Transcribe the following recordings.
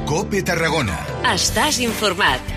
COPE Tarragona. Estàs informat.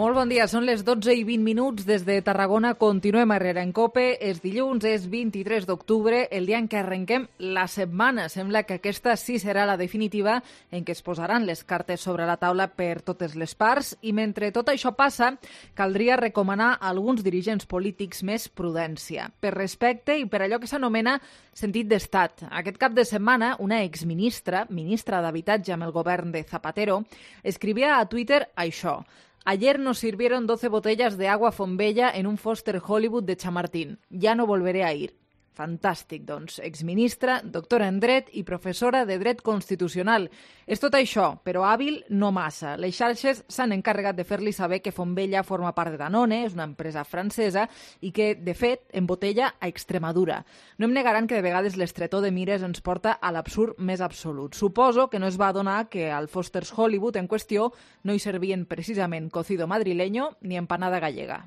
Molt bon dia, són les 12:20 des de Tarragona. Continuem a Herrera en COPE. És dilluns, és 23 d'octubre, el dia en què arrenquem la setmana. Sembla que aquesta sí serà la definitiva, en què es posaran les cartes sobre la taula per totes les parts. I mentre tot això passa, caldria recomanar a alguns dirigents polítics més prudència, per respecte i per allò que s'anomena sentit d'estat. Aquest cap de setmana, una exministra, ministra d'Habitatge amb el govern de Zapatero, escrivia a Twitter això: ayer nos sirvieron 12 botellas de agua Fontbella en un Foster Hollywood de Chamartín. Ya no volveré a ir. Fantàstic, doncs. Exministra, doctora en dret i professora de dret constitucional. És tot això, però hàbil no massa. Les xarxes s'han encarregat de fer-li saber que Fontbella forma part de Danone, és una empresa francesa, i que, de fet, embotella a Extremadura. No em negaran que de vegades l'estretor de mires ens porta a l'absurd més absolut. Suposo que no es va adonar que al Foster's Hollywood en qüestió no hi servien precisament cocido madrileño ni empanada gallega.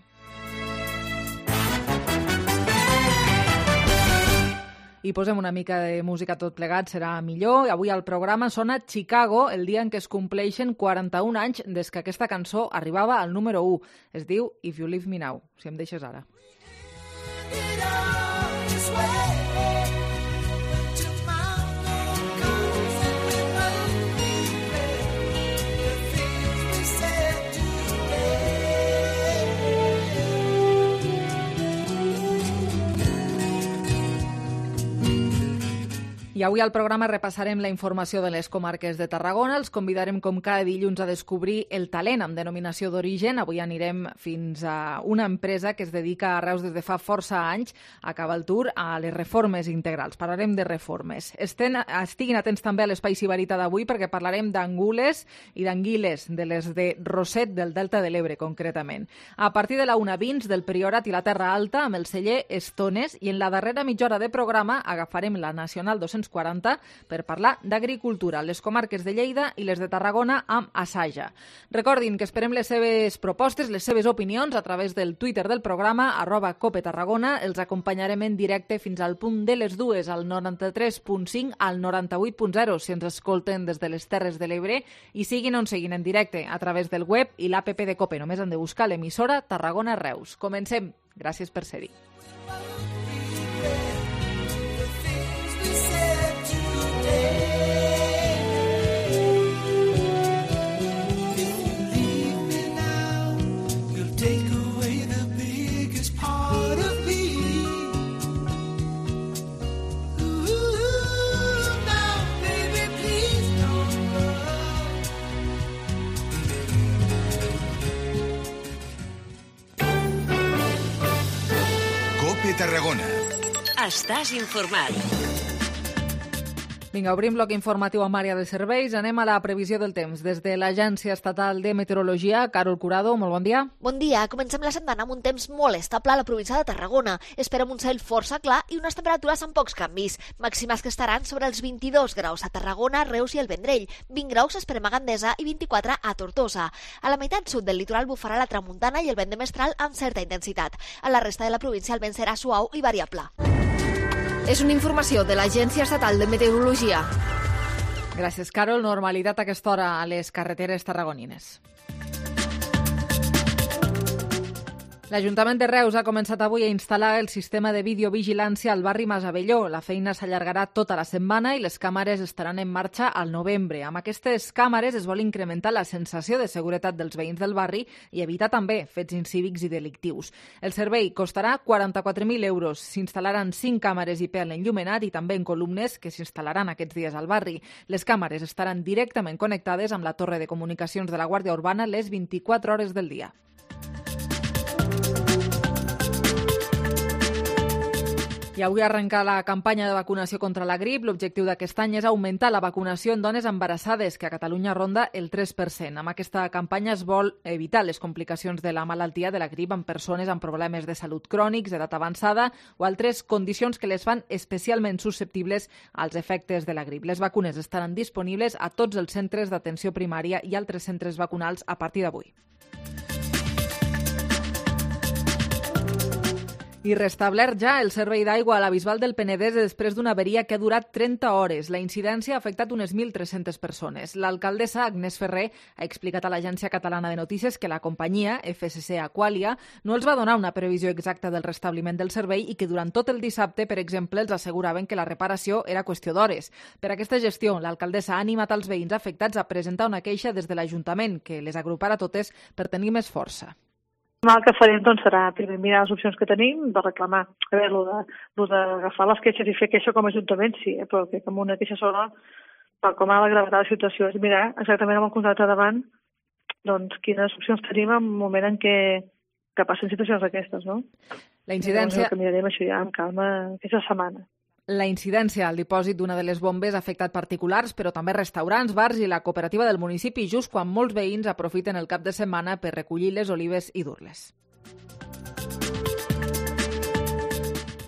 I posem una mica de música tot plegat, serà millor. Avui al programa sona Chicago, el dia en què es compleixen 41 anys des que aquesta cançó arribava al número 1. Es diu If You Leave Me Now, si em deixes ara. I avui al programa repassarem la informació de les comarques de Tarragona. Els convidarem com cada dilluns a descobrir el talent amb denominació d'origen. Avui anirem fins a una empresa que es dedica a Reus des de fa força anys a Cabaltur a les reformes integrals. Parlarem de reformes. Estiguin atents també a l'Espai Sibarita d'avui perquè parlarem d'angules i d'anguiles, de les de Roset del Delta de l'Ebre concretament. A partir de la 1:20 del Priorat i la Terra Alta amb el celler Estones i en la darrera mitja hora de programa agafarem la Nacional 240 per parlar d'agricultura, les comarques de Lleida i les de Tarragona amb Asaja. Recordin que esperem les seves propostes, les seves opinions a través del Twitter del programa, @COPETarragona. Els acompanyarem en directe fins al punt de les 2, al 93.5 al 98.0, si ens escolten des de les Terres de l'Ebre, i siguin on siguin en directe a través del web i l'APP de COPE. Només han de buscar l'emissora Tarragona Reus. Comencem. Gràcies per ser-hi. COPE Tarragona. Estàs informat. Vinga, obrim bloc informatiu amb àrea de serveis. Anem a la previsió del temps. Des de l'Agència Estatal de Meteorologia, Carol Curado, molt bon dia. Bon dia. Comencem la setmana amb un temps molt estable a la província de Tarragona. Esperem un cel força clar i unes temperatures amb pocs canvis. Màximes que estaran sobre els 22 graus a Tarragona, Reus i el Vendrell. 20 graus esperem a Gandesa i 24 a Tortosa. A la meitat sud del litoral bufarà la tramuntana i el vent de mestral amb certa intensitat. A la resta de la província el vent serà suau i variable. És una informació de l'Agència Estatal de Meteorologia. Gràcies, Carol. Normalitat a aquesta hora a les carreteres tarragonines. L'Ajuntament de Reus ha començat avui a instal·lar el sistema de videovigilància al barri Masavelló. La feina s'allargarà tota la setmana i les càmeres estaran en marxa al novembre. Amb aquestes càmeres es vol incrementar la sensació de seguretat dels veïns del barri i evitar també fets incívics i delictius. El servei costarà 44.000 euros. S'instal·laran 5 càmeres IP en l'enllumenat i també en columnes que s'instal·laran aquests dies al barri. Les càmeres estaran directament connectades amb la torre de comunicacions de la Guàrdia Urbana les 24 hores del dia. I avui arrenca la campanya de vacunació contra la grip. L'objectiu d'aquest any és augmentar la vacunació en dones embarassades, que a Catalunya ronda el 3%. Amb aquesta campanya es vol evitar les complicacions de la malaltia de la grip en persones amb problemes de salut crònics, d'edat avançada o altres condicions que les fan especialment susceptibles als efectes de la grip. Les vacunes estaran disponibles a tots els centres d'atenció primària i altres centres vacunals a partir d'avui. I restablert ja el servei d'aigua a la Bisbal del Penedès després d'una averia que ha durat 30 hores. La incidència ha afectat unes 1.300 persones. L'alcaldessa Agnès Ferrer ha explicat a l'Agència Catalana de Notícies que la companyia, FSC Aqualia, no els va donar una previsió exacta del restabliment del servei i que durant tot el dissabte, per exemple, els asseguraven que la reparació era qüestió d'hores. Per aquesta gestió, l'alcaldessa ha animat els veïns afectats a presentar una queixa des de l'Ajuntament, que les agruparà totes per tenir més força. El que farem serà primer mirar les opcions que tenim de reclamar. A veure, el d'agafar les queixes i fer queixa com a Ajuntament, sí, però que amb una queixa sola, per com ha la gravetat de la situació, és mirar exactament amb el contracte davant quines opcions tenim en un moment en què passen situacions d'aquestes, no? La incidència... Que mirarem això ja amb calma aquesta setmana. La incidència al dipòsit d'una de les bombes ha afectat particulars, però també restaurants, bars i la cooperativa del municipi, just quan molts veïns aprofiten el cap de setmana per recollir les olives i dur-les.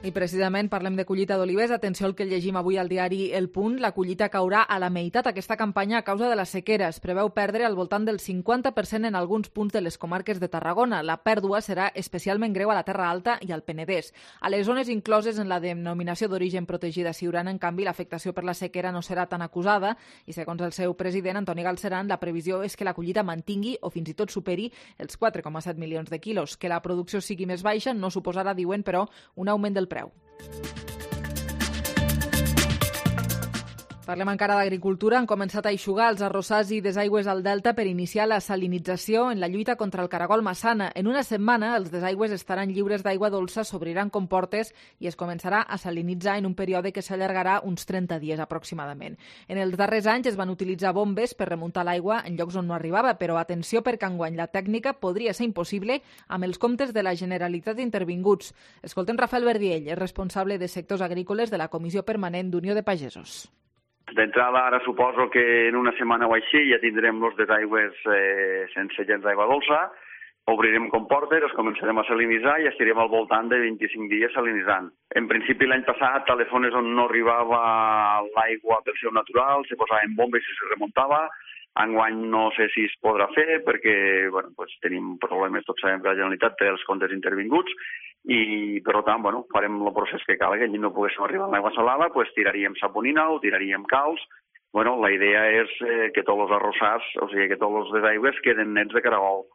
I precisament parlem de collita d'olives. Atenció al que llegim avui al diari El Punt. La collita caurà a la meitat aquesta campanya a causa de la sequera. Es preveu perdre al voltant del 50% en alguns punts de les comarques de Tarragona. La pèrdua serà especialment greu a la Terra Alta i al Penedès. A les zones incloses en la denominació d'origen protegida Siurana, en canvi, l'afectació per la sequera no serà tan acusada i, segons el seu president, Antoni Galceran, la previsió és que la collita mantingui o fins i tot superi els 4,7 milions de quilos. Que la producció sigui més baixa no suposarà, diuen, però, un augment del preu. Parlem encara d'agricultura. Han començat a eixugar els arrossars i desaigües al Delta per iniciar la salinització en la lluita contra el caragol massana. En una setmana, els desaigües estaran lliures d'aigua dolça, s'obriran comportes i es començarà a salinitzar en un període que s'allargarà uns 30 dies aproximadament. En els darrers anys es van utilitzar bombes per remuntar l'aigua en llocs on no arribava, però atenció perquè enguany la tècnica podria ser impossible amb els comptes de la Generalitat intervinguts. Escoltem Rafael Verdiell, és responsable de sectors agrícoles de la Comissió Permanent d'Unió de Pagesos. D'entrada, ara suposo que en una setmana o així ja tindrem els desaigües sense gens d'aigua dolça, obrirem comportes, els començarem a salinitzar i estirem al voltant de 25 dies salinitzant. En principi, l'any passat, a les zones on no arribava l'aigua per seu natural, se posaven bombes i se remuntava. Enguany no sé si es podrà fer perquè tenim problemes, tots sabem que la Generalitat té els comptes intervinguts i, per tant, farem el procés que cal, que allí no poguéssim arribar a l'aigua salada, tiraríem saponina o tiraríem calç. La idea és que tots els arrossars, o sigui, que tots els desaigües queden nets de caragol.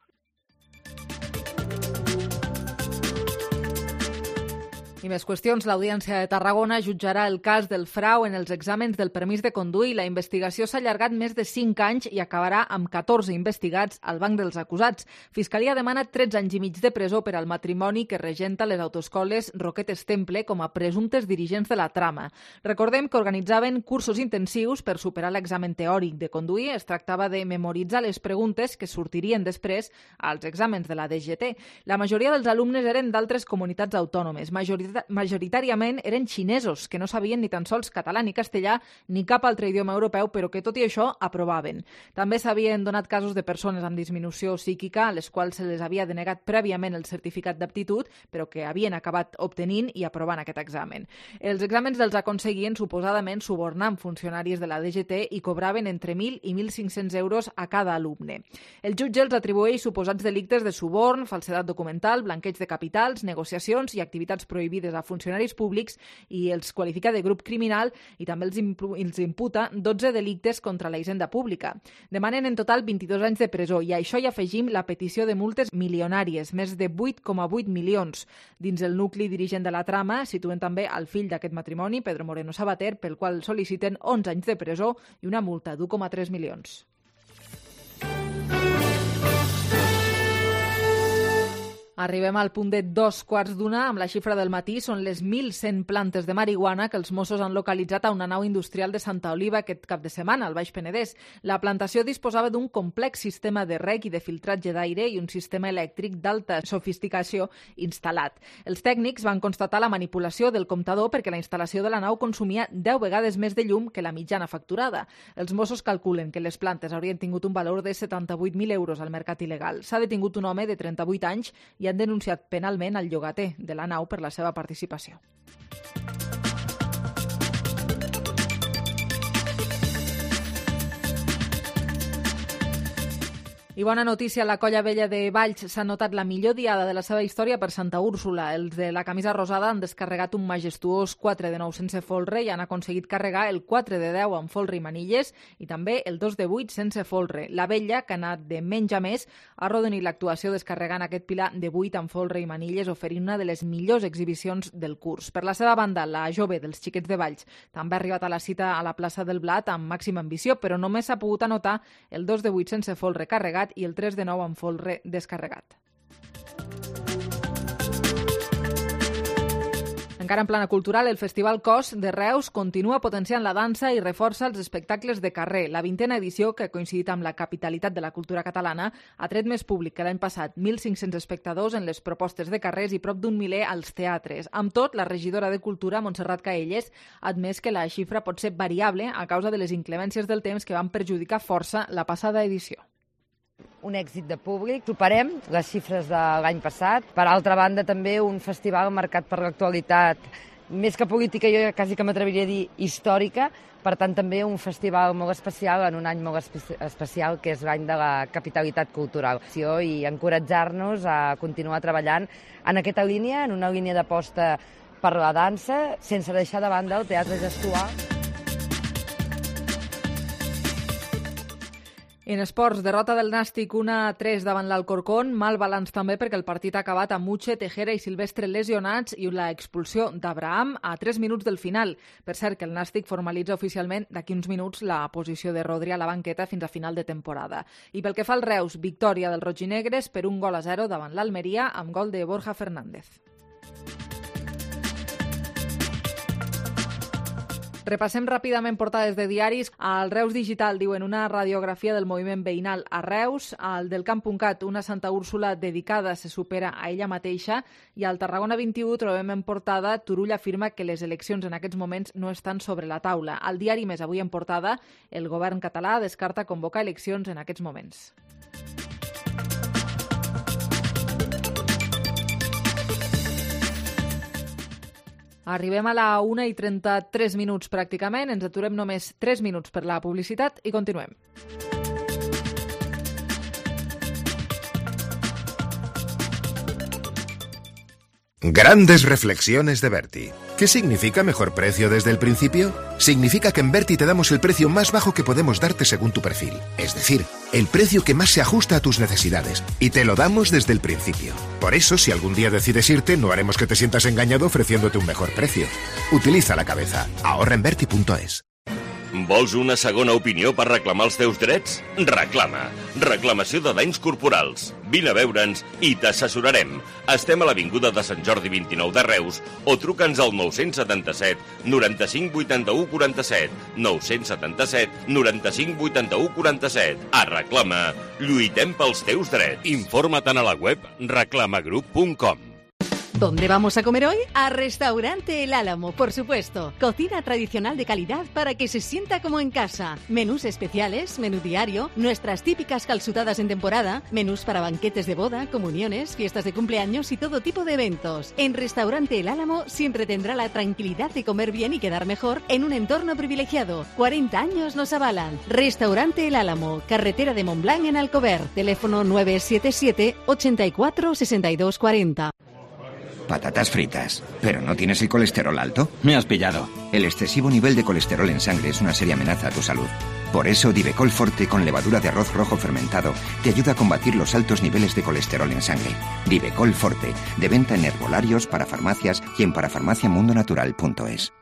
I més qüestions. L'Audiència de Tarragona jutjarà el cas del frau en els exàmens del permís de conduir. La investigació s'ha allargat més de 5 anys i acabarà amb 14 investigats al banc dels acusats. Fiscalia demana 13 anys i mig de presó per al matrimoni que regenta les autoescoles Roquetes Temple com a presumptes dirigents de la trama. Recordem que organitzaven cursos intensius per superar l'examen teòric de conduir. Es tractava de memoritzar les preguntes que sortirien després als exàmens de la DGT. La majoria dels alumnes eren d'altres comunitats autònomes. Majoritàriament eren xinesos, que no sabien ni tan sols català ni castellà ni cap altre idioma europeu, però que tot i això aprovaven. També s'havien donat casos de persones amb disminució psíquica a les quals se les havia denegat prèviament el certificat d'aptitud, però que havien acabat obtenint i aprovant aquest examen. Els exàmens els aconseguien suposadament subornant funcionaris de la DGT i cobraven entre 1.000 i 1.500 euros a cada alumne. El jutge els atribueix suposats delictes de suborn, falsedat documental, blanqueig de capitals, negociacions i activitats prohibides a funcionaris públics i els qualifica de grup criminal i també els imputa 12 delictes contra la hisenda pública. Demanen en total 22 anys de presó i a això hi afegim la petició de multes milionàries, més de 8,8 milions. Dins el nucli dirigent de la trama situen també el fill d'aquest matrimoni, Pedro Moreno Sabater, pel qual sol·liciten 11 anys de presó i una multa d'1,3 milions. Arribem al punt de 2:15 amb la xifra del matí. Són les 1.100 plantes de marihuana que els Mossos han localitzat a una nau industrial de Santa Oliva aquest cap de setmana, al Baix Penedès. La plantació disposava d'un complex sistema de reg i de filtratge d'aire i un sistema elèctric d'alta sofisticació instal·lat. Els tècnics van constatar la manipulació del comptador perquè la instal·lació de la nau consumia 10 vegades més de llum que la mitjana facturada. Els Mossos calculen que les plantes haurien tingut un valor de 78.000 euros al mercat il·legal. S'ha detingut un home de 38 anys i han denunciat penalment el llogater de la nau per la seva participació. I bona notícia, la Colla Vella de Valls s'ha notat la millor diada de la seva història per Santa Úrsula. Els de la camisa rosada han descarregat un majestuós 4 de 9 sense folre i han aconseguit carregar el 4 de 10 amb folre i manilles i també el 2 de 8 sense folre. La Vella, que ha anat de menys a més, ha arrodonit l'actuació descarregant aquest pilar de 8 amb folre i manilles, oferint una de les millors exhibicions del curs. Per la seva banda, la jove dels xiquets de Valls també ha arribat a la cita a la plaça del Blat amb màxima ambició, però només s'ha pogut anotar el 2 de 8 sense folre carregat i el 3 de 9 amb folre descarregat. Encara en plana cultural, el Festival Cos de Reus continua potenciant la dansa i reforça els espectacles de carrer. La 20a edició, que ha coincidit amb la capitalitat de la cultura catalana, ha tret més públic que l'any passat, 1.500 espectadors en les propostes de carrers i prop d'un miler als teatres. Amb tot, la regidora de Cultura, Montserrat Caelles, ha admès que la xifra pot ser variable a causa de les inclemències del temps que van perjudicar força la passada edició. Un èxit de públic, superem les xifres de l'any passat. Per altra banda, també un festival marcat per l'actualitat, més que política, jo quasi que m'atreviria a dir històrica, per tant també un festival molt especial en un any molt especial, que és l'any de la capitalitat cultural. I encoratjar-nos a continuar treballant en aquesta línia, en una línia d'aposta per la dansa, sense deixar de banda el teatre gestual. En esports, derrota del Nàstic 1-3 davant l'Alcorcón, mal balanç també perquè el partit ha acabat amb Uche, Tejera i Silvestre lesionats i la expulsió d'Abraham a 3 minuts del final. Per cert, que el Nàstic formalitza oficialment d'aquí uns minuts la posició de Rodri a la banqueta fins a final de temporada. I pel que fa al Reus, victòria dels rojinegres per 1-0 davant l'Almeria amb gol de Borja Fernández. Repassem ràpidament portades de diaris. Al Reus Digital diuen una radiografia del moviment veïnal a Reus, al del Camp.cat una Santa Úrsula dedicada se supera a ella mateixa i al Tarragona 21 trobem en portada Turull afirma que les eleccions en aquests moments no estan sobre la taula. Al diari Més avui en portada el govern català descarta convocar eleccions en aquests moments. Arribem a la 1:33 pràcticament, ens aturem només 3 minuts per la publicitat i continuem. Grandes reflexiones de Berti. ¿Qué significa mejor precio desde el principio? Significa que en Berti te damos el precio más bajo que podemos darte según tu perfil. Es decir, el precio que más se ajusta a tus necesidades. Y te lo damos desde el principio. Por eso, si algún día decides irte, no haremos que te sientas engañado ofreciéndote un mejor precio. Utiliza la cabeza. Ahorra en Berti.es. Vols una segona opinió per reclamar els teus drets? Reclama. Reclamació de danys corporals. Vine a veure'ns i t'assessorarem. Estem a l'Avinguda de Sant Jordi 29 de Reus o truca'ns al 977 95 81 47. 977 95 81 47. A Reclama. Lluitem pels teus drets. Informa't a la web reclamagroup.com. ¿Dónde vamos a comer hoy? A Restaurante El Álamo, por supuesto. Cocina tradicional de calidad para que se sienta como en casa. Menús especiales, menú diario, nuestras típicas calzutadas en temporada, menús para banquetes de boda, comuniones, fiestas de cumpleaños y todo tipo de eventos. En Restaurante El Álamo siempre tendrá la tranquilidad de comer bien y quedar mejor en un entorno privilegiado. 40 años nos avalan. Restaurante El Álamo, carretera de Montblanc en Alcover. Teléfono 977 84 62 40. Patatas fritas. ¿Pero no tienes el colesterol alto? Me has pillado. El excesivo nivel de colesterol en sangre es una seria amenaza a tu salud. Por eso, Divecol Forte con levadura de arroz rojo fermentado te ayuda a combatir los altos niveles de colesterol en sangre. Divecol Forte, de venta en herbolarios, para farmacias y en parafarmaciamundonatural.es.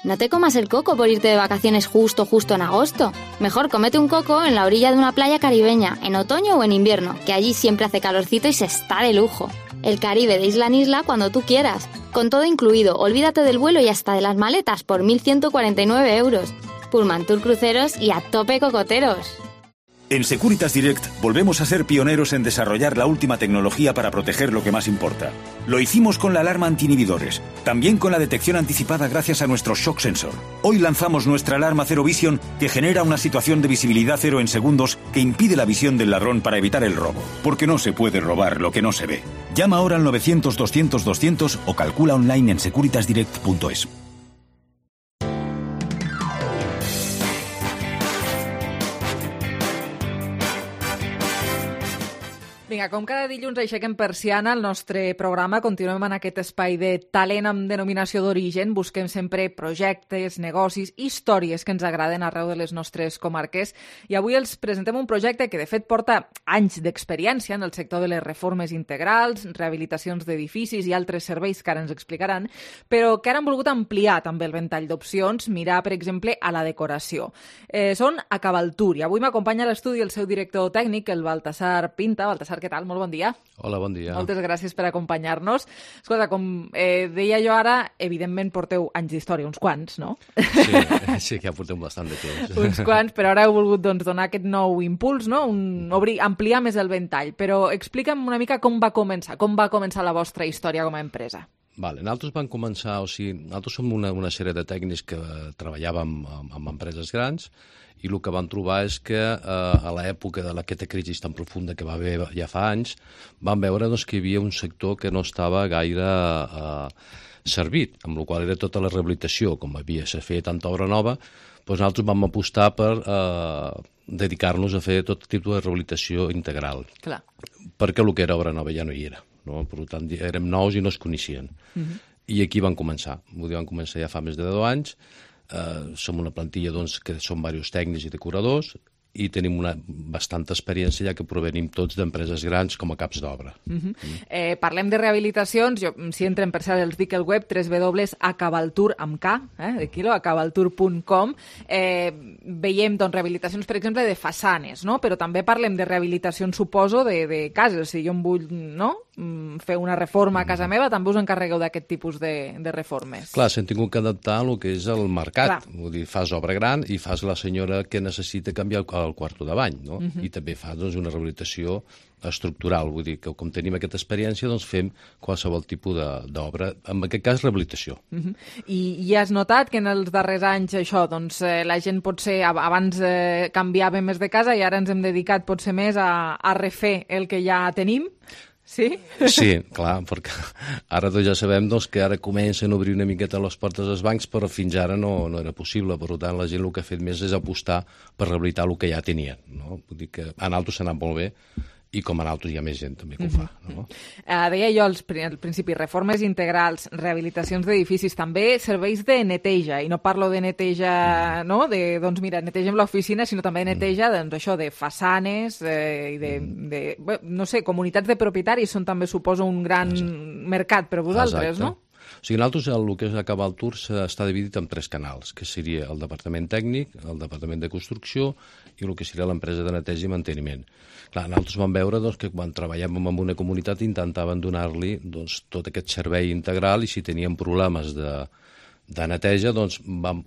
No te comas el coco por irte de vacaciones justo en agosto. Mejor cómete un coco en la orilla de una playa caribeña, en otoño o en invierno, que allí siempre hace calorcito y se está de lujo. El Caribe de isla en isla cuando tú quieras. Con todo incluido, olvídate del vuelo y hasta de las maletas por 1.149 euros. Pullman Tour Cruceros y a tope cocoteros. En Securitas Direct volvemos a ser pioneros en desarrollar la última tecnología para proteger lo que más importa. Lo hicimos con la alarma anti-inhibidores, también con la detección anticipada gracias a nuestro Shock Sensor. Hoy lanzamos nuestra alarma Zero Vision, que genera una situación de visibilidad cero en segundos que impide la visión del ladrón para evitar el robo. Porque no se puede robar lo que no se ve. Llama ahora al 900-200-200 o calcula online en securitasdirect.es. Vinga, com cada dilluns aixequem persiana al nostre programa, continuem en aquest espai de talent amb denominació d'origen, busquem sempre projectes, negocis, històries que ens agraden arreu de les nostres comarques i avui els presentem un projecte que de fet porta anys d'experiència en el sector de les reformes integrals, rehabilitacions d'edificis i altres serveis que ara ens explicaran, però que ara han volgut ampliar també el ventall d'opcions, mirar, per exemple, a la decoració. Són Acabaltur i avui m'acompanya a l'estudi el seu director tècnic, el Baltasar Pinta. Baltasar, què tal? Molt bon dia. Hola, bon dia. Moltes gràcies per acompanyar-nos. Escolta, com deia jo ara, evidentment porteu anys d'història, uns quants, no? Sí, que ja portem bastant de temps. Uns quants, però ara heu volgut donar aquest nou impuls, no? Ampliar més el ventall. Però explica'm una mica com va començar la vostra història com a empresa. Vale, nosaltres vam començar, nosaltres som una sèrie de tècnics que treballàvem amb empreses grans i el que vam trobar és que a l'època d'aquesta crisi tan profunda que va haver ja fa anys, vam veure que hi havia un sector que no estava gaire servit, amb la qual era tota la rehabilitació, com se feia tanta obra nova, nosaltres vam apostar per dedicar-nos a fer tot tipus de rehabilitació integral. Clar. Perquè el que era obra nova ja no hi era. No? Per tant, érem nous i no es coneixien. I aquí van començar. Van començar ja fa més de 10 anys. Som una plantilla que som diversos tècnics i decoradors i tenim una bastanta experiència ja que provenim tots d'empreses grans com a caps d'obra. Parlem de rehabilitacions. Si entren, per cert, els dic el web www.acabaltur amb K, de quilo, acabaltur.com. Veiem rehabilitacions, per exemple, de façanes, no? Però també parlem de rehabilitacions, suposo, de cases. Si jo em vull fer una reforma a casa meva, també us encarregueu d'aquest tipus de reformes. Clar, s'han tingut que adaptar al que és el mercat. Vull dir, fas obra gran i fas la senyora que necessita canviar el quarto de bany, no? I també fa una rehabilitació estructural, vull dir que com tenim aquesta experiència fem qualsevol tipus d'obra, en aquest cas rehabilitació. I has notat que en els darrers anys això, la gent potser abans canviava més de casa i ara ens hem dedicat potser més a refer el que ja tenim? Sí? Sí, clar, perquè ara ja sabem que ara comencen a obrir una miqueta les portes dels bancs, però fins ara no era possible. Per tant, la gent el que ha fet més és apostar per rehabilitar el que ja tenien. No? Vull dir que a nosaltres s'ha anat molt bé i com a nosaltres hi ha més gent també que ho fa. No? Deia jo al principi, reformes integrals, rehabilitacions d'edificis, també serveis de neteja, i no parlo de neteja, no? Netegem l'oficina, sinó també de neteja de façanes i de no sé, comunitats de propietaris són també, suposo, un gran mercat per a vosaltres, no? O sigui, nosaltres el que és Acabaltur està dividit en 3 canals, que seria el departament tècnic, el departament de construcció i el que seria l'empresa de neteja i manteniment. Clar, nosaltres vam veure que quan treballàvem en una comunitat intentaven donar-li tot aquest servei integral i si tenien problemes de neteja vam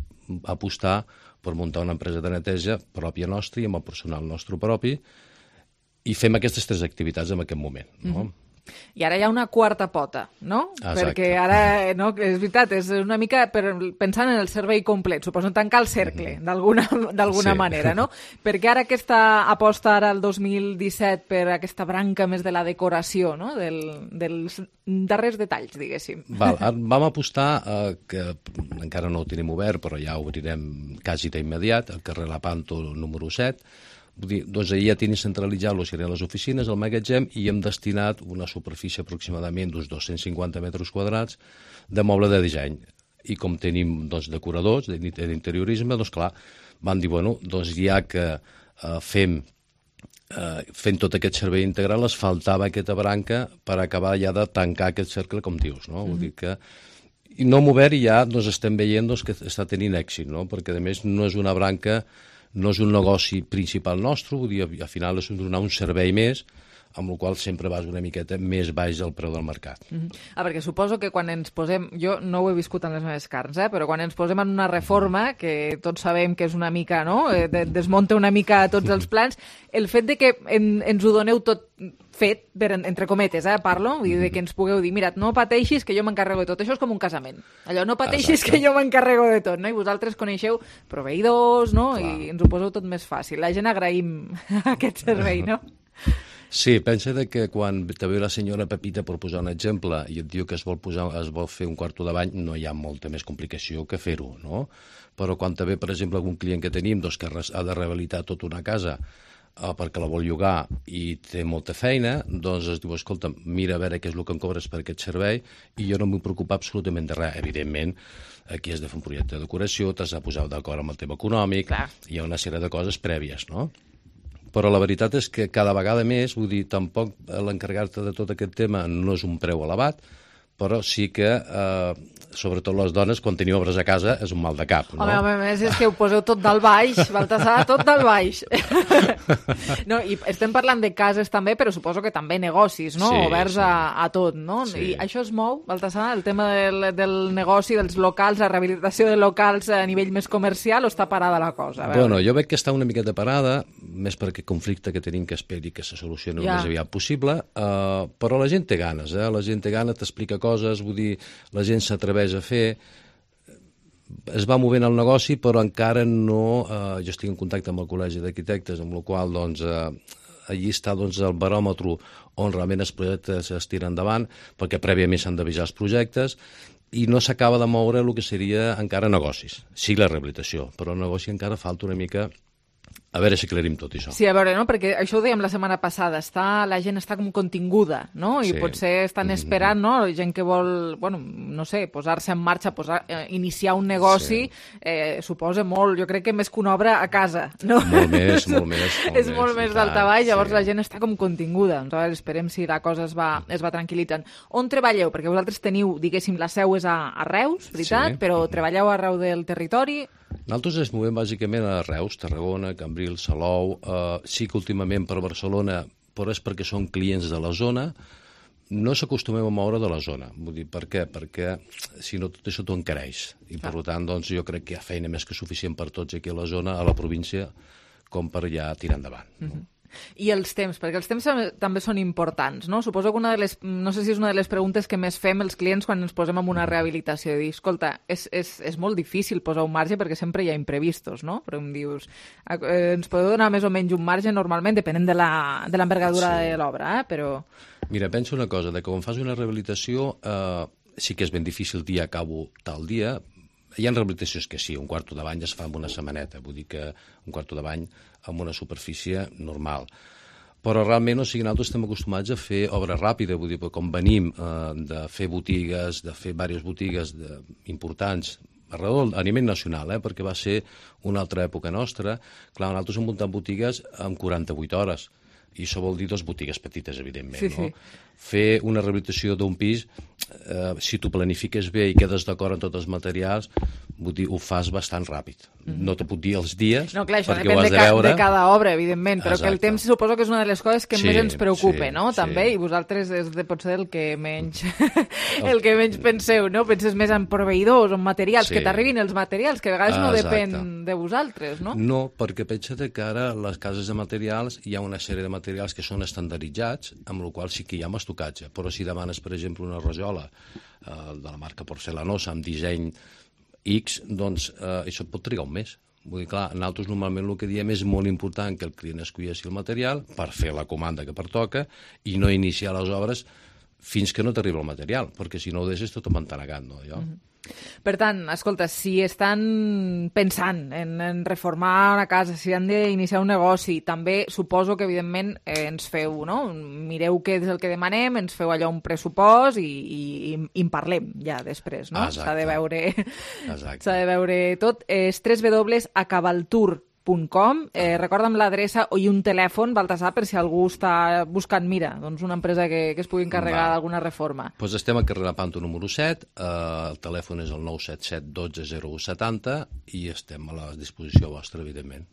apostar per muntar una empresa de neteja pròpia nostra i amb el personal nostre propi i fem aquestes 3 activitats en aquest moment, no? I ara hi ha una quarta pota, no? Exacte. Perquè ara, no, és veritat, és una mica pensant en el servei complet, suposo, tancar el cercle, d'alguna manera, no? Perquè ara aquesta aposta ara el 2017 per aquesta branca més de la decoració, no? Dels darrers detalls, diguéssim. Vam apostar, que encara no ho tenim obert, però ja ho obrirem quasi d'immediat, al carrer La Panto número 7, vull dir, allà ja tenim centralitzat serien les oficines, el magatzem, i hem destinat una superfície aproximadament d'uns 250 metres quadrats de moble de disseny. I com tenim decoradors d'interiorisme, clar, van dir, ja que fem tot aquest servei integral, es faltava aquesta branca per acabar ja de tancar aquest cercle, com dius, no? Vull dir que i no m'ho obert i ja estem veient que està tenint èxit, no? Perquè a més no és una branca, no és un negoci principal nostre, vull dir, al final és donar un servei més, amb el qual sempre vas una miqueta més baix del preu del mercat. Perquè suposo que quan ens posem, jo no ho he viscut en les meves carns, però quan ens posem en una reforma, que tots sabem que és una mica, no?, desmunta una mica tots els plans, el fet de que ens ho doneu tot fet, entre cometes, parlo, vull dir, que ens pugueu dir, mira, no pateixis que jo m'encarrego de tot, això és com un casament, allò, no pateixis que jo m'encarrego de tot, no? I vosaltres coneixeu proveïdors, no?, i ens ho poseu tot més fàcil. La gent agraïm aquest servei, no? Sí, pensa que quan te ve la senyora Pepita, per posar un exemple, i et diu que es vol fer un quarto de bany, no hi ha molta més complicació que fer-ho, no? Però quan te ve, per exemple, algun client que tenim que ha de rehabilitar tota una casa perquè la vol llogar i té molta feina, doncs es diu, escolta, mira a veure què és el que em cobres per aquest servei i jo no m'ho preocupa absolutament de res. Evidentment, aquí has de fer un projecte de decoració, t'has de posar d'acord amb el tema econòmic, hi ha una sèrie de coses prèvies, no? Però la veritat és que cada vegada més, vull dir, tampoc l'encarregar-te de tot aquest tema no és un preu elevat, però sí que, sobretot les dones, quan teniu obres a casa, és un mal de cap, no? Home, a més és que ho poseu tot del baix, Baltasar, tot del baix. No, i estem parlant de cases també, però suposo que també negocis, no? Sí, oberts sí. a tot, no? Sí. I això es mou, Baltasar, el tema del negoci, dels locals, la rehabilitació de locals a nivell més comercial, o està parada la cosa? Bueno, jo veig que està una miqueta parada, més per aquest conflicte que tenim, que esperi que se solucioni el més aviat possible, però la gent té ganes, la gent té ganes, t'explica coses, vull dir, la gent s'atreveix a fer, es va movent el negoci, però encara no, jo estic en contacte amb el Col·legi d'Arquitectes, amb el qual, doncs, allí està doncs, el baròmetre on realment els projectes es tiren endavant, perquè prèviament s'han d'avisar els projectes, i no s'acaba de moure el que seria encara negocis. Sí, la rehabilitació, però el negoci encara falta una mica. A veure si aclarim tot això. Sí, a veure, no? Perquè això ho dèiem la setmana passada, la gent està com continguda, no? I potser estan esperant, no? Gent que vol, bueno, no sé, posar-se en marxa, iniciar un negoci, suposa molt, jo crec que més que una obra a casa, no? Molt més. És molt més daltabaix, llavors la gent està com continguda. Doncs esperem si la cosa es va tranquil·litzant. On treballeu? Perquè vosaltres teniu, diguéssim, la seu és a Reus, veritat? Però treballeu arreu del territori? Nosaltres ens movem bàsicament a Reus, Tarragona, Cambrils, Salou, sí que últimament per Barcelona, però és perquè són clients de la zona, no s'acostumem a moure de la zona. Vull dir, per què? Perquè si no tot això t'ho encareix. I per tant, doncs, jo crec que hi ha feina més que suficient per tots aquí a la zona, a la província, com per ja tirar endavant. I els temps, perquè els temps també són importants, no? Suposo que no sé si és una de les preguntes que més fem els clients quan ens posem en una rehabilitació, dir, escolta, és molt difícil posar un marge perquè sempre hi ha imprevistos, no? Però em dius, ens podeu donar més o menys un marge normalment, depenent de l'envergadura de l'obra, però... Mira, penso una cosa, que quan fas una rehabilitació sí que és ben difícil dir acabo tal dia. Hi ha rehabilitacions que sí, un quarto de bany es fa en una setmaneta, vull dir que un quarto de bany amb una superfície normal. Però realment, nosaltres estem acostumats a fer obra ràpida, vull dir, com venim de fer botigues, de fer diverses botigues importants a nivell nacional, perquè va ser una altra època nostra. Clar, nosaltres hem muntat botigues en 48 hores, i això vol dir dues botigues petites, evidentment, no? Fer una rehabilitació d'un pis, si t'ho planifiques bé i quedes d'acord en tots els materials, vull dir, ho fas bastant ràpid. No te puc dir els dies, no, clar, això perquè ho has de veure. De cada obra, evidentment, però que el temps suposo que és una de les coses que més ens preocupa, no? També, i vosaltres és potser el que menys penseu, no? Penses més en proveïdors, en materials, que t'arribin els materials, que a vegades no depèn de vosaltres, no? No, perquè pensa't que ara les cases de materials hi ha una sèrie de materials que són estandarditzats, amb la qual sí que hi ha estocatge, però si demanes, per exemple, una rajola de la marca Porcelanosa amb disseny X, doncs això pot trigar un mes. Vull dir, clar, nosaltres normalment el que diem és molt important que el client escolleixi el material per fer la comanda que pertoca i no iniciar les obres fins que no t'arriba el material, perquè si no ho deixes tot empantanegat, no? Per tant, escolta, si estan pensant en reformar una casa, si han d'iniciar un negoci, també suposo que, evidentment, ens feu, no? Mireu què és el que demanem, ens feu allò un pressupost i en parlem ja després, no? S'ha de veure tot. És www.acabaltour.com. Recorda'm l'adreça i un telèfon, Baltasar, per si algú està buscant, mira, doncs una empresa que es pugui encarregar d'alguna reforma. Doncs estem al carrer Lepanto número 7, el telèfon és el 977 12 0170 i estem a la disposició vostra, evidentment.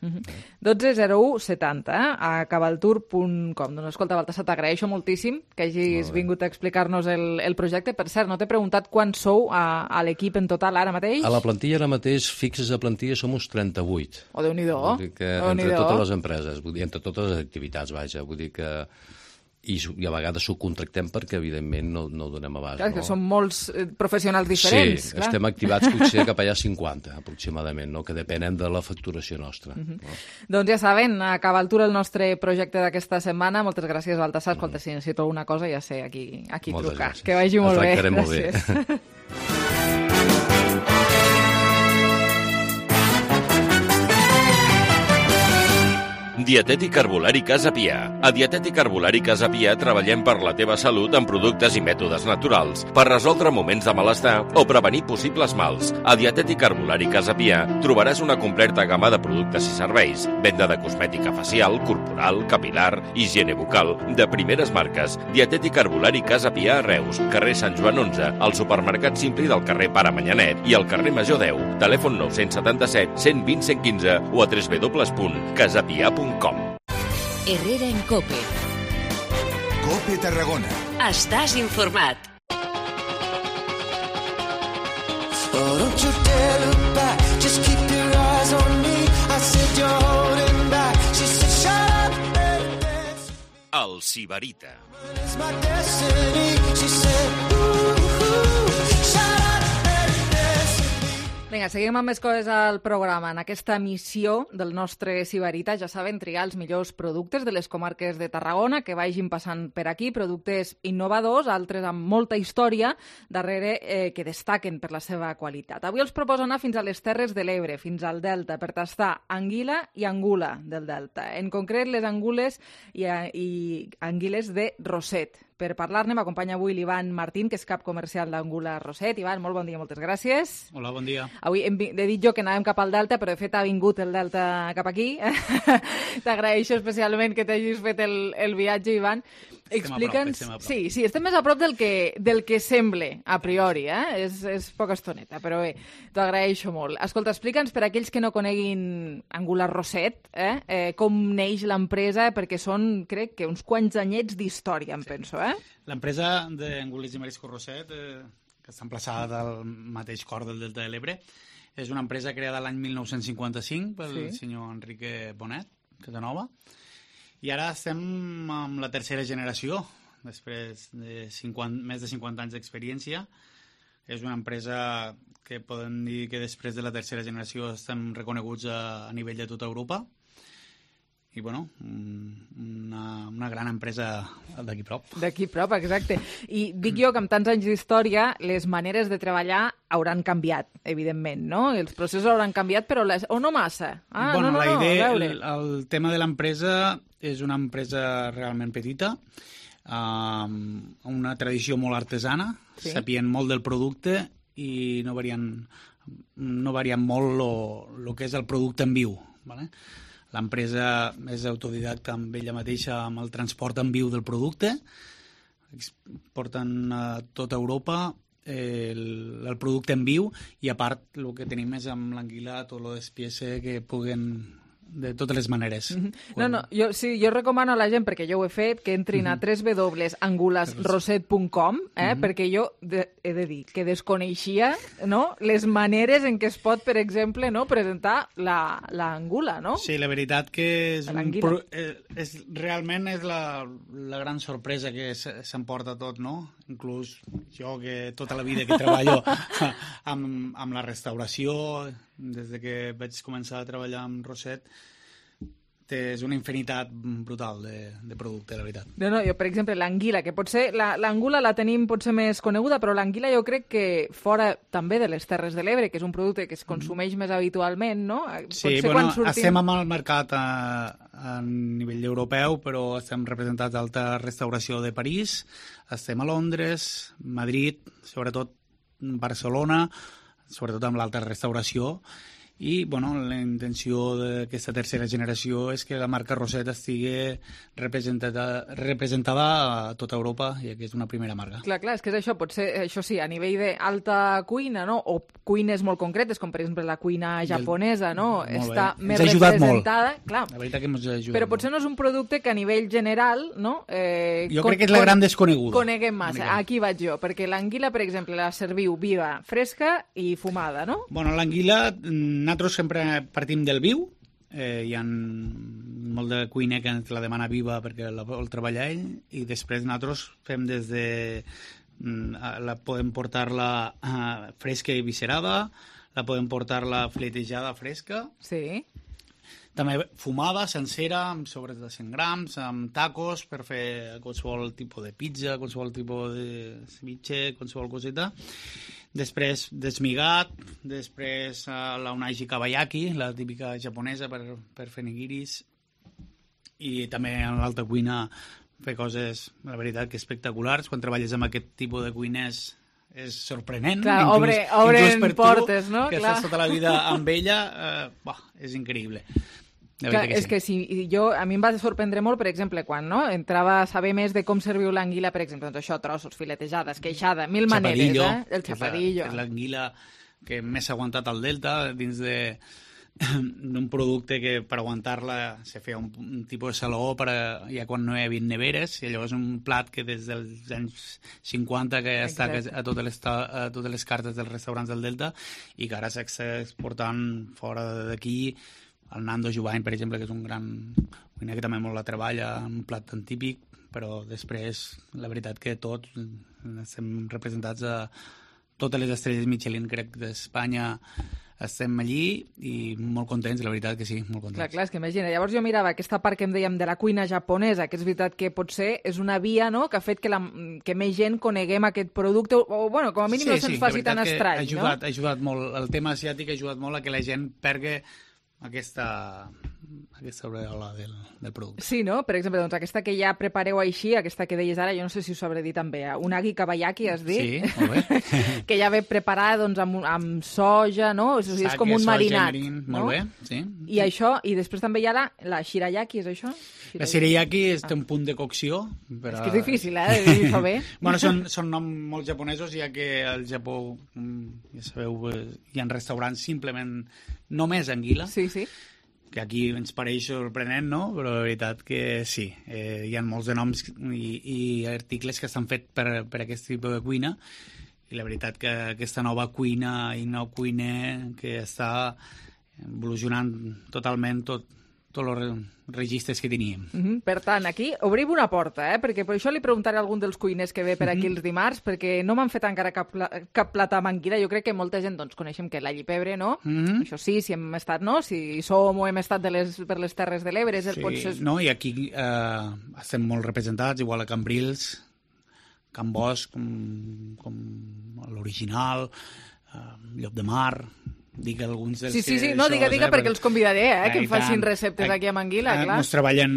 12 0170, a cabaltour.com. Doncs escolta, Baltasar, t'agraeixo moltíssim que hagis vingut a explicar-nos el projecte. Per cert, no t'he preguntat quants sou a l'equip en total ara mateix? A la plantilla ara mateix, fixes a plantilla, som uns 38. Oh, Déu-n'hi-do. Vull dir que entre totes les empreses, vull dir, entre totes les activitats, vaja, vull dir que... I a vegades subcontractem perquè, evidentment, no donem abast. Clar, que són molts professionals diferents. Sí, estem activats potser cap allà 50, aproximadament, no? Que depenen de la facturació nostra. Doncs ja saben, acaba el nostre projecte d'aquesta setmana. Moltes gràcies, Baltasar. Escolta, si necessito alguna cosa, ja sé, aquí trucar. Que vagi molt bé. El tractarem molt bé. Dietètic Herbolari Casa Pià. A Dietètic Herbolari Casa Pià treballem per la teva salut amb productes i mètodes naturals, per resoldre moments de malestar o prevenir possibles mals. A Dietètic Herbolari Casa Pià trobaràs una completa gamma de productes i serveis, venda de cosmètica facial, corporal, capilar, higiene bucal, de primeres marques. Dietètic Herbolari Casa Pià a Reus, carrer Sant Joan 11, al supermercat Simpli del carrer Pare Manyanet i al carrer Major 10. Telèfon 977 120 115 o a www.casapia.com. Herrera en Cope. Cope Tarragona. Estàs informat. Oh, don't you dare look back, just keep your eyes on me. I said you're holding back, she said shut up and dance. El Sibarita. It's my destiny, she said ooh, shut up and dance. Vinga, seguim amb més coses al programa. En aquesta missió del nostre Sibarita, ja saben, triar els millors productes de les comarques de Tarragona que vagin passant per aquí, productes innovadors, altres amb molta història darrere que destaquen per la seva qualitat. Avui els proposo anar fins a les Terres de l'Ebre, fins al Delta, per tastar anguila i angula del Delta. En concret, les angules i anguiles de Roset. Per parlar-ne m'acompanya avui l'Ivan Martín, que és cap comercial d'Angula Roset. Ivan, molt bon dia, moltes gràcies. Hola, bon dia. Avui he dit jo que anàvem cap al Delta, però de fet ha vingut el Delta cap aquí. T'agraeixo especialment que t'hagis fet el viatge, Ivan. Explica'ns... Sí, estem més a prop del que sembla, a priori, És poca estoneta, però bé, t'ho agraeixo molt. Escolta, explica'ns per aquells que no coneguin Angula Roset, com neix l'empresa, perquè són, crec que uns quants anyets d'història, em penso, L'empresa d'Angules i Mariscos Roset, que està emplaçada al mateix cor del Delta de l'Ebre, és una empresa creada l'any 1955 pel senyor Enrique Bonet, Casanova, i ara estem amb la tercera generació, després de més de 50 anys d'experiència. És una empresa que podem dir que després de la tercera generació estem reconeguts a nivell de tota Europa. I, bueno, una gran empresa d'aquí prop. D'aquí prop, exacte. I dic jo que amb tants anys d'història les maneres de treballar hauran canviat, evidentment, no? Els processos hauran canviat, però o no massa? Bueno, la idea, el tema de l'empresa és una empresa realment petita, una tradició molt artesana, sapien molt del producte i no varien molt el que és el producte en viu, ¿vale? L'empresa és autodidacta amb ella mateixa amb el transport en viu del producte. Porten a tota Europa el producte en viu i a part el que tenim és amb l'anguila tot el despiece que puguen de totes les maneres. Jo recomano a la gent, perquè jo ho he fet, que entrin a www.angulasroset.com, perquè jo he de dir que desconeixia les maneres en què es pot, per exemple, presentar l'angula, no? Sí, la veritat que realment és la gran sorpresa que s'emporta tot, no? Inclús jo, que tota la vida que treballo amb la restauració, des que vaig començar a treballar amb Roset, és una infinitat brutal de producte, la veritat. Jo, per exemple, l'anguila, que potser l'angula la tenim potser més coneguda, però l'anguila jo crec que fora també de les Terres de l'Ebre, que és un producte que es consumeix més habitualment, no? Sí, estem amb el mercat a nivell europeu, però estem representats a Alta Restauració de París, estem a Londres, Madrid, sobretot Barcelona, sobretot amb l'Alta Restauració, i la intenció d'aquesta tercera generació és que la marca Roset estigui representada a tota Europa i que és una primera marca. Clar, és que és això, potser, això sí, a nivell d'alta cuina, no? O cuines molt concretes, com per exemple la cuina japonesa, no? Està més representada. Clar. La veritat que ens ha ajudat però potser no és un producte que a nivell general, no? Jo crec que és la gran desconeguda. Coneguem massa. Aquí vaig jo, perquè l'anguila, per exemple, la serviu viva, fresca i fumada, no? L'anguila, nosaltres sempre partim del viu, hi ha molt de cuiner que la demana viva perquè la vol treballar ell, i després nosaltres fem des de podem portar-la fresca i viscerada, la podem portar-la fletejada fresca, també fumada, sencera, amb sobres de 100 grams, amb tacos per fer qualsevol tipus de pizza, qualsevol tipus de ceviche, qualsevol coseta. Després desmigat, després la unagi kabayaki, la típica japonesa per fer nigiris, i també en l'alta cuina fer coses, la veritat, que espectaculars. Quan treballes amb aquest tipus de cuiners és sorprenent. Clar, inclús per portes, tu, no? que Clar. estàs tota la vida amb ella, és increïble. Clar, és que si a mi em va sorprendre molt, per exemple, quan entrava a saber més de com serviu l'anguila, per exemple, doncs això, trossos, filetejada, esqueixada, mil maneres, el chapadillo. És l'anguila que més s'ha aguantat al Delta, dins d'un producte que per aguantar-la se feia un tipus de saló ja quan no hi havia neveres, i llavors un plat que des dels anys 50 que està a totes les cartes dels restaurants del Delta i que ara s'està exportant fora d'aquí. El Nando Jubany, per exemple, que és un gran cuiner que també molt la treballa, un plat tan típic, però després la veritat que tots estem representats a totes les estrelles Michelin, crec, d'Espanya. Estem allí i molt contents, la veritat que sí, molt contents. Clar, és que imagina, llavors jo mirava aquesta part que em dèiem de la cuina japonesa, que és veritat que potser és una via, no?, que ha fet que més gent coneguem aquest producte, o bueno, com a mínim no se'ns faci tan estrany, no? Ha ajudat molt, el tema asiàtic ha ajudat molt a que la gent pergui aquesta aureola del producte. Sí, no? Per exemple, doncs aquesta que ja prepareu així, aquesta que deies ara, jo no sé si us sabré dir també, unagi kabayaki, has dit? Sí, molt bé. Que ja ve preparada doncs, amb soja, no? O sigui, és com un marinat. No? Molt bé, sí. I això, i després també hi ha la shirayaki, és això? La shirayaki té un punt de cocció. Però... És que és difícil, de dir-ho bé. Bueno, són noms molt japonesos, ja que al Japó, ja sabeu, hi ha restaurants simplement només anguila. Sí, sí. Que aquí ens pareix sorprenent, no? Però la veritat que sí, hi ha molts de noms i articles que estan fets per aquest tipus de cuina, i la veritat que aquesta nova cuina i nou cuiner que està evolucionant totalment tots els registres que teníem. Per tant, aquí obrim una porta, perquè per això li preguntaré a algun dels cuiners que ve per aquí els dimarts, perquè no m'han fet encara cap plat amb anguila. Jo crec que molta gent doncs, coneixem que l'all i pebre, no? Això sí, si hem estat, no? Si som o hem estat per les Terres de l'Ebre. Sí, no? I aquí estem molt representats, igual a Cambrils, Can Bosch, com l'original, Llop de Mar... Dic alguns dels sí, no, diga, perquè els convidaré, que em facin receptes aquí amb anguila, clar. Ens treballen,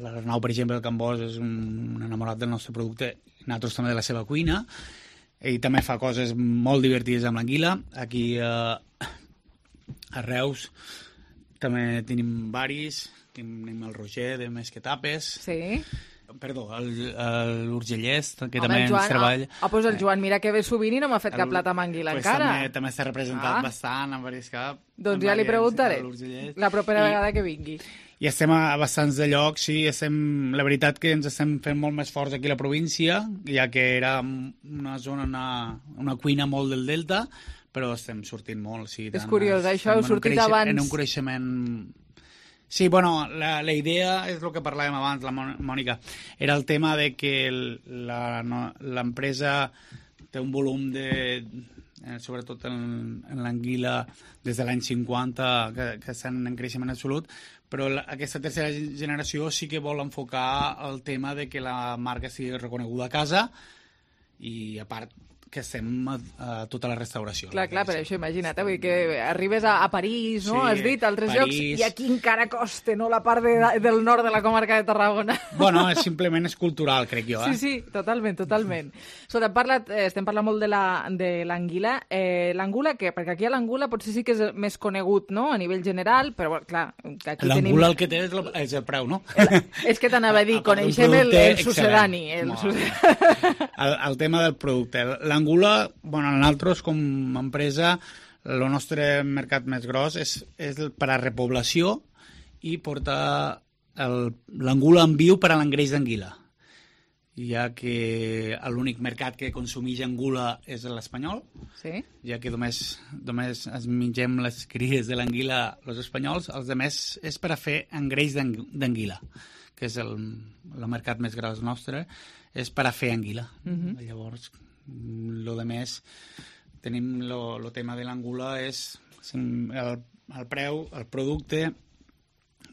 l'Arnau, per exemple, el Can Bosch és un enamorat del nostre producte, nosaltres també de la seva cuina, ell també fa coses molt divertides amb l'anguila. Aquí a Reus també tenim varis, tenim el Roger de Mesquetapes. Sí. Perdó, l'Urgellès, que també ens treballa. Doncs el Joan, mira que ve sovint i no m'ha fet cap plat amb anguila encara. També està representat bastant en diversos caps. Doncs ja li preguntaré la propera vegada que vingui. I estem a bastants de llocs, sí, la veritat que ens estem fent molt més forts aquí a la província, ja que era una zona, una cuina molt del Delta, però estem sortint molt. Sí, és curiós, això heu sortit abans. En un creixement... Sí, bueno, la idea és el que parlàvem abans, la Mònica, era el tema de que l'empresa té un volum sobretot en l'anguila des de l'any 50 que estan en creixement absolut, però aquesta tercera generació sí que vol enfocar el tema de que la marca sigui reconeguda a casa i a part que estem a tota la restauració. Clar, per això imagina't, vull dir que arribes a París, no? Sí, has dit, altres llocs, i aquí encara costa, no?, la part del nord de la comarca de Tarragona. Bueno, simplement és cultural, crec jo. Sí, totalment. Estem parlant molt de l'anguila. L'angula, què? Perquè aquí a l'angula potser sí que és més conegut, no?, a nivell general, però, clar, aquí l'angula el que té és el preu, no? És que t'anava a dir, coneixem el sucedani. El tema del producte. L'angula, bueno, nosaltres com a empresa, el nostre mercat més gros és per a repoblació i portar l'angula en viu per a l'engreix d'anguila, ja que l'únic mercat que consumeix angula és l'espanyol, sí? Ja que només ens mengem les cries de l'anguila els espanyols, els altres és per a fer engreix d'anguila, que és el mercat més gros nostre, és per a fer anguila. Llavors, lo de més, tenim el tema de l'angula és el preu, el producte,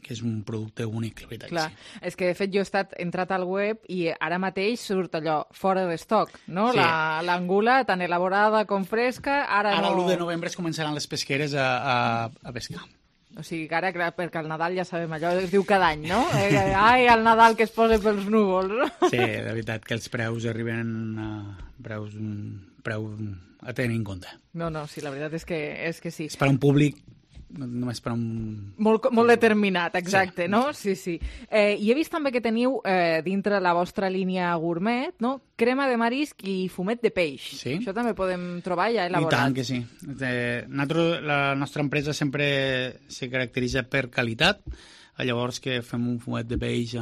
que és un producte únic, la veritat. Clar, sí. És que de fet jo he entrat al web i ara mateix surt allò fora d'estoc, no? Sí. L'angula, tan elaborada com fresca, ara no... Ara l'1 de novembre es començaran les pesqueres a pescar. O sigui, que ara, perquè al Nadal ja sabem, allò es diu cada any, no? Ai, el Nadal que es posa pels núvols, no? Sí, de veritat que els preus arriben a preu a tenir en compte. No, sí, la veritat és que sí. És per un públic, només per un... Molt determinat, exacte, sí, no? Sí. I he vist també que teniu dintre la vostra línia gourmet, no? Crema de marisc i fumet de peix. Sí. Això també podem trobar ja elaborat. I tant que sí. La nostra empresa sempre se caracteritza per qualitat, llavors que fem un fumet de peix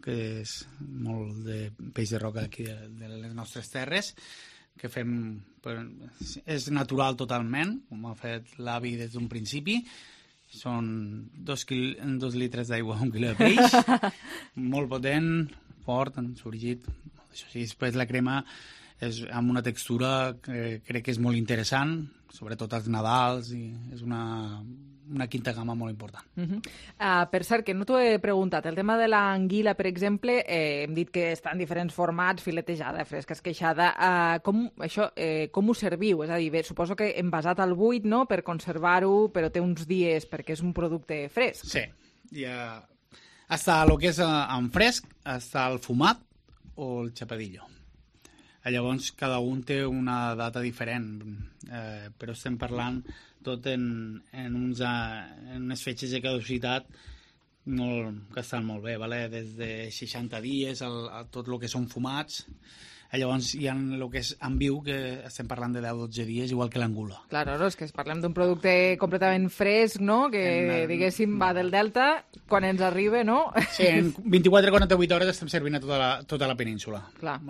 que és molt de peix de roca aquí de les nostres terres, que fem... És natural totalment, com ha fet l'avi des d'un principi. Són 2 litres d'aigua, 1 quilo de peix, molt potent, fort, ensorgit. Després la crema és amb una textura que crec que és molt interessant, sobretot als Nadals, i és una quinta gamma molt important. Per cert, que no t'ho he preguntat, el tema de l'anguila, per exemple, hem dit que està en diferents formats, filetejada, fresca, esqueixada. Com ho serviu? És a dir, suposo que envasat al buit, no?, per conservar-ho, però té uns dies perquè és un producte fresc. Sí, hasta el que és en fresc, hasta el fumat o el xapadillo. Llavors, cada un té una data diferent, però estem parlant tot en unes fetges de caducitat que estan molt bé, des de 60 dies a tot el que són fumats. Llavors hi ha el que és en viu, que estem parlant de 10-12 dies, igual que l'angula. Claro, no? És que parlem d'un producte completament fresc, no?, que, diguéssim, va del Delta, quan ens arriba, no? Sí, en 24-48 hores estem servint a tota la península. Clar.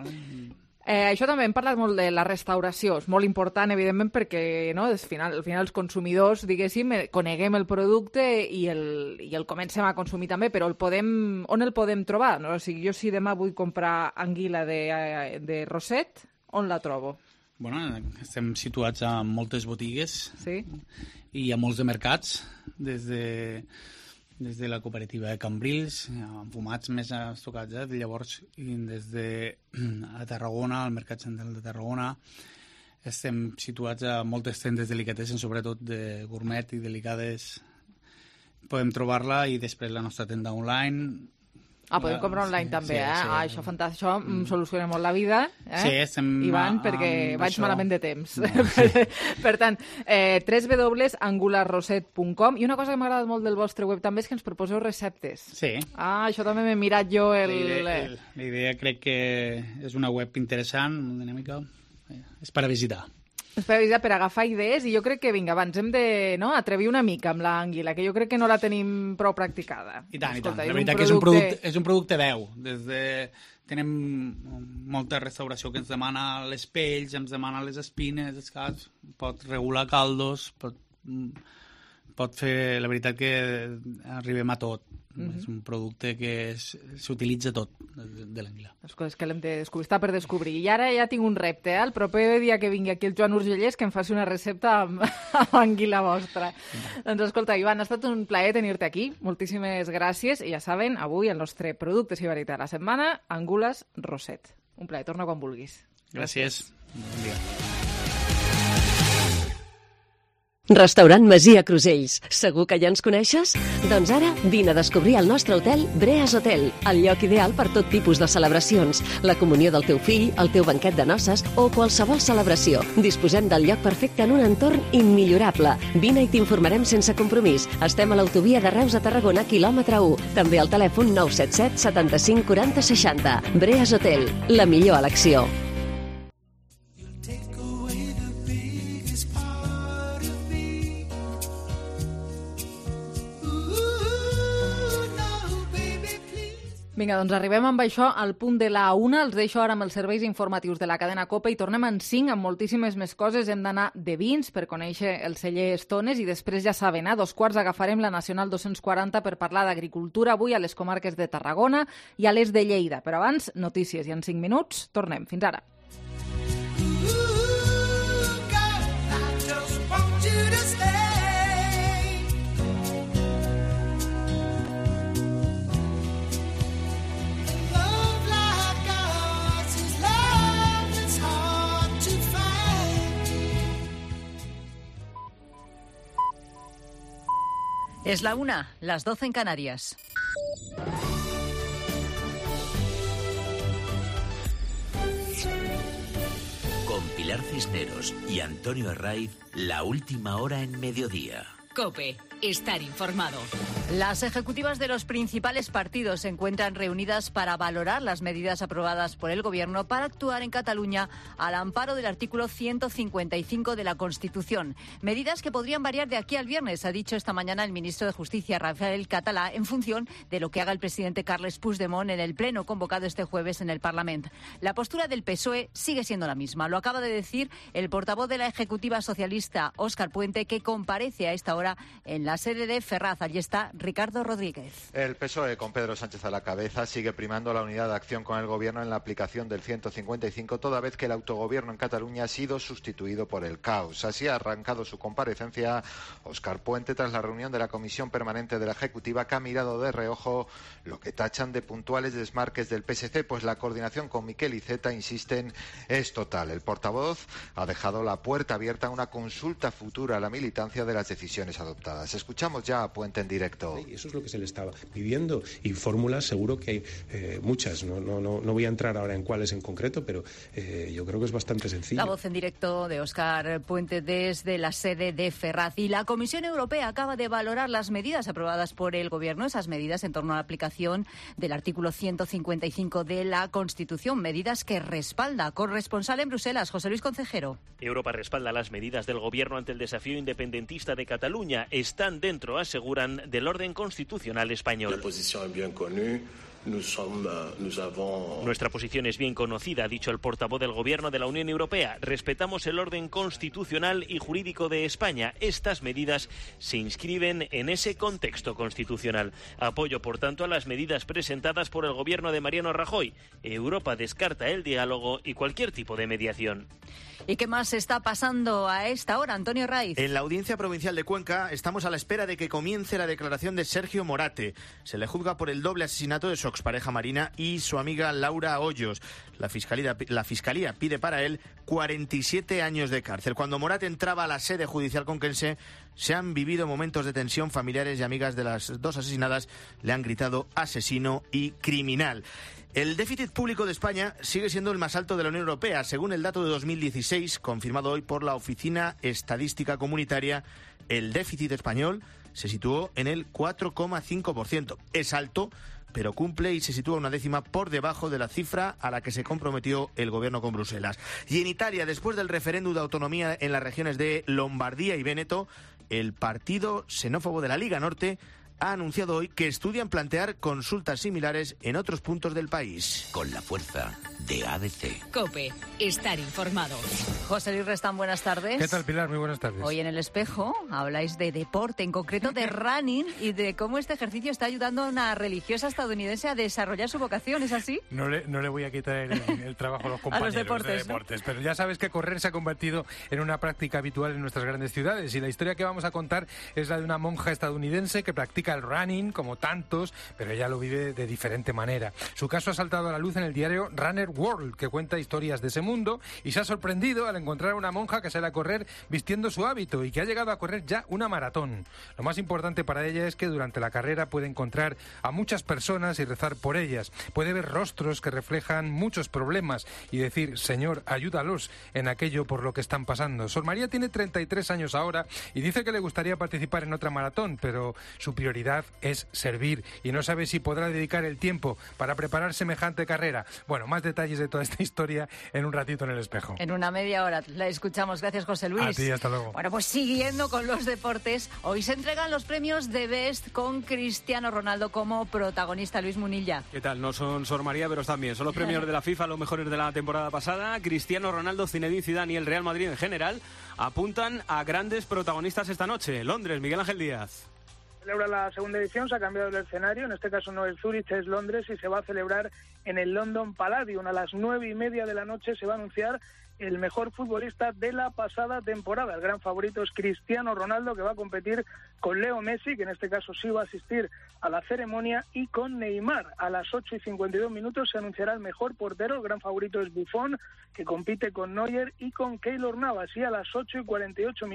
Això també hem parlat molt de la restauració, és molt important, evidentment, perquè al final els consumidors, diguéssim, coneguem el producte i el comencem a consumir també, però on el podem trobar? No? O sigui, jo si demà vull comprar anguila de Roset, on la trobo? Bueno, estem situats a moltes botigues, sí, i a molts de mercats, des de la cooperativa de Cambrils, amb fumats més estocats, llavors des de a Tarragona, al Mercat Central de Tarragona, estem situats a moltes tendes delicatessen, sobretot de gourmet i delicades. Podem trobar-la i després la nostra tenda online. Podem comprar online també, sí. Això fantàstic, això soluciona molt la vida, Sí, estem... Ivan, perquè vaig això... malament de temps. No. Per tant, www.angularroset.com. I una cosa que m'ha agradat molt del vostre web també és que ens proposeu receptes. Sí. Això també m'he mirat jo La idea crec que és una web interessant, molt dinàmica, és per a visitar. Per agafar idees, i jo crec que, vinga, abans hem de atrevir una mica amb l'anguila, que jo crec que no la tenim prou practicada. I tant. La veritat que és un producte veu. Tenim molta restauració que ens demana les pells, ens demana les espines, els caps, pot regular caldos, pot fer... La veritat que arribem a tot. És un producte que s'utilitza tot de l'anguila. Les coses que l'hem de descobrir, està per descobrir. I ara ja tinc un repte, el proper dia que vingui aquí el Joan Urgellès, que em faci una recepta amb anguila vostra. Doncs escolta, Ivan, ha estat un plaer tenir-te aquí. Moltíssimes gràcies. I ja saben, avui el nostre producte i varietat de la setmana, Angules Roset. Un plaer, torna quan vulguis. Gràcies. Bon dia. Restaurant Masia Crusells. Segur que ja ens coneixes? Doncs ara vine a descobrir el nostre hotel Breas Hotel, el lloc ideal per tot tipus de celebracions, la comunió del teu fill, el teu banquet de noces o qualsevol celebració. Disposem del lloc perfecte en un entorn immillorable. Vine i t'informarem sense compromís. Estem a l'autovia de Reus a Tarragona, quilòmetre 1. També al telèfon 977 75 40 60. Breas Hotel, la millor elecció. Vinga, doncs arribem amb això al punt de la 1. Els deixo ara amb els serveis informatius de la cadena COPE i tornem en 5 amb moltíssimes més coses. Hem d'anar de vins per conèixer el celler Estones i després, ja saben, a 2:15 agafarem la Nacional 240 per parlar d'agricultura avui a les comarques de Tarragona i a les de Lleida. Però abans, notícies i en 5 minuts tornem. Fins ara. Es la 1, las 12 en Canarias. Con Pilar Cisneros y Antonio Herraiz, la última hora en mediodía. COPE. Estar informado. Las ejecutivas de los principales partidos se encuentran reunidas para valorar las medidas aprobadas por el Gobierno para actuar en Cataluña al amparo del artículo 155 de la Constitución. Medidas que podrían variar de aquí al viernes, ha dicho esta mañana el ministro de Justicia, Rafael Català, en función de lo que haga el presidente Carles Puigdemont en el pleno convocado este jueves en el Parlamento. La postura del PSOE sigue siendo la misma. Lo acaba de decir el portavoz de la Ejecutiva Socialista, Óscar Puente, que comparece a esta hora en la sede de Ferraz. Allí está Ricardo Rodríguez. El PSOE, con Pedro Sánchez a la cabeza, sigue primando la unidad de acción con el Gobierno en la aplicación del 155, toda vez que el autogobierno en Cataluña ha sido sustituido por el caos. Así ha arrancado su comparecencia Óscar Puente tras la reunión de la Comisión Permanente de la Ejecutiva, que ha mirado de reojo lo que tachan de puntuales desmarques del PSC, pues la coordinación con Miquel Iceta, insisten, es total. El portavoz ha dejado la puerta abierta a una consulta futura a la militancia de las decisiones adoptadas. Escuchamos ya a Puente en directo. Eso es lo que se le estaba pidiendo, y fórmulas seguro que hay muchas. No voy a entrar ahora en cuáles en concreto, pero yo creo que es bastante sencillo. La voz en directo de Óscar Puente desde la sede de Ferraz. Y la Comisión Europea acaba de valorar las medidas aprobadas por el Gobierno, esas medidas en torno a la aplicación del artículo 155 de la Constitución, medidas que respalda. Corresponsal en Bruselas, José Luis Concejero. Europa respalda las medidas del Gobierno ante el desafío independentista de Cataluña. Están dentro, aseguran, del orden constitucional español. La posición es bien conocida. Nuestra posición es bien conocida, ha dicho el portavoz del Gobierno de la Unión Europea. Respetamos el orden constitucional y jurídico de España. Estas medidas se inscriben en ese contexto constitucional. Apoyo, por tanto, a las medidas presentadas por el Gobierno de Mariano Rajoy. Europa descarta el diálogo y cualquier tipo de mediación. ¿Y qué más está pasando a esta hora, Antonio Raiz? En la Audiencia Provincial de Cuenca estamos a la espera de que comience la declaración de Sergio Morate. Se le juzga por el doble asesinato de su expareja Marina y su amiga Laura Hoyos. La Fiscalía pide para él 47 años de cárcel. Cuando Morate entraba a la sede judicial conquense, se han vivido momentos de tensión. Familiares y amigas de las dos asesinadas le han gritado asesino y criminal. El déficit público de España sigue siendo el más alto de la Unión Europea. Según el dato de 2016, confirmado hoy por la Oficina Estadística Comunitaria, el déficit español se situó en el 4,5%. Es alto, pero cumple y se sitúa una décima por debajo de la cifra a la que se comprometió el Gobierno con Bruselas. Y en Italia, después del referéndum de autonomía en las regiones de Lombardía y Véneto, el partido xenófobo de la Liga Norte ha anunciado hoy que estudian plantear consultas similares en otros puntos del país. Con la fuerza de ADC. COPE. Estar informado. José Luis Restán, buenas tardes. ¿Qué tal, Pilar? Muy buenas tardes. Hoy en El Espejo habláis de deporte, en concreto de running, y de cómo este ejercicio está ayudando a una religiosa estadounidense a desarrollar su vocación, ¿es así? No le voy a quitar el trabajo a los compañeros de deportes, ¿no? Pero ya sabes que correr se ha convertido en una práctica habitual en nuestras grandes ciudades, y la historia que vamos a contar es la de una monja estadounidense que practica el running, como tantos, pero ella lo vive de diferente manera. Su caso ha saltado a la luz en el diario Runner World, que cuenta historias de ese mundo, y se ha sorprendido al encontrar a una monja que sale a correr vistiendo su hábito y que ha llegado a correr ya una maratón. Lo más importante para ella es que durante la carrera puede encontrar a muchas personas y rezar por ellas. Puede ver rostros que reflejan muchos problemas y decir: Señor, ayúdalos en aquello por lo que están pasando. Sor María tiene 33 años ahora y dice que le gustaría participar en otra maratón, pero su prioridad es servir y no sabe si podrá dedicar el tiempo para preparar semejante carrera. Bueno, más detalles de toda esta historia en un ratito en El Espejo. En una media hora la escuchamos. Gracias, José Luis. A ti, hasta luego. Bueno, pues siguiendo con los deportes, hoy se entregan los premios de Best con Cristiano Ronaldo como protagonista. Luis Munilla. ¿Qué tal? No son Sor María, pero están bien. Son los premios de la FIFA, los mejores de la temporada pasada. Cristiano Ronaldo, Zinedine Zidane y el Real Madrid en general apuntan a grandes protagonistas esta noche. Londres, Miguel Ángel Díaz. Celebra la segunda edición, se ha cambiado el escenario, en este caso no es Zúrich, es Londres, y se va a celebrar en el London Palladium. A las 9:30 de la noche se va a anunciar el mejor futbolista de la pasada temporada. El gran favorito es Cristiano Ronaldo, que va a competir con Leo Messi, que en este caso sí va a asistir a la ceremonia, y con Neymar. A las 8:52 se anunciará el mejor portero. El gran favorito es Buffon, que compite con Neuer y con Keylor Navas. Y a las 8:48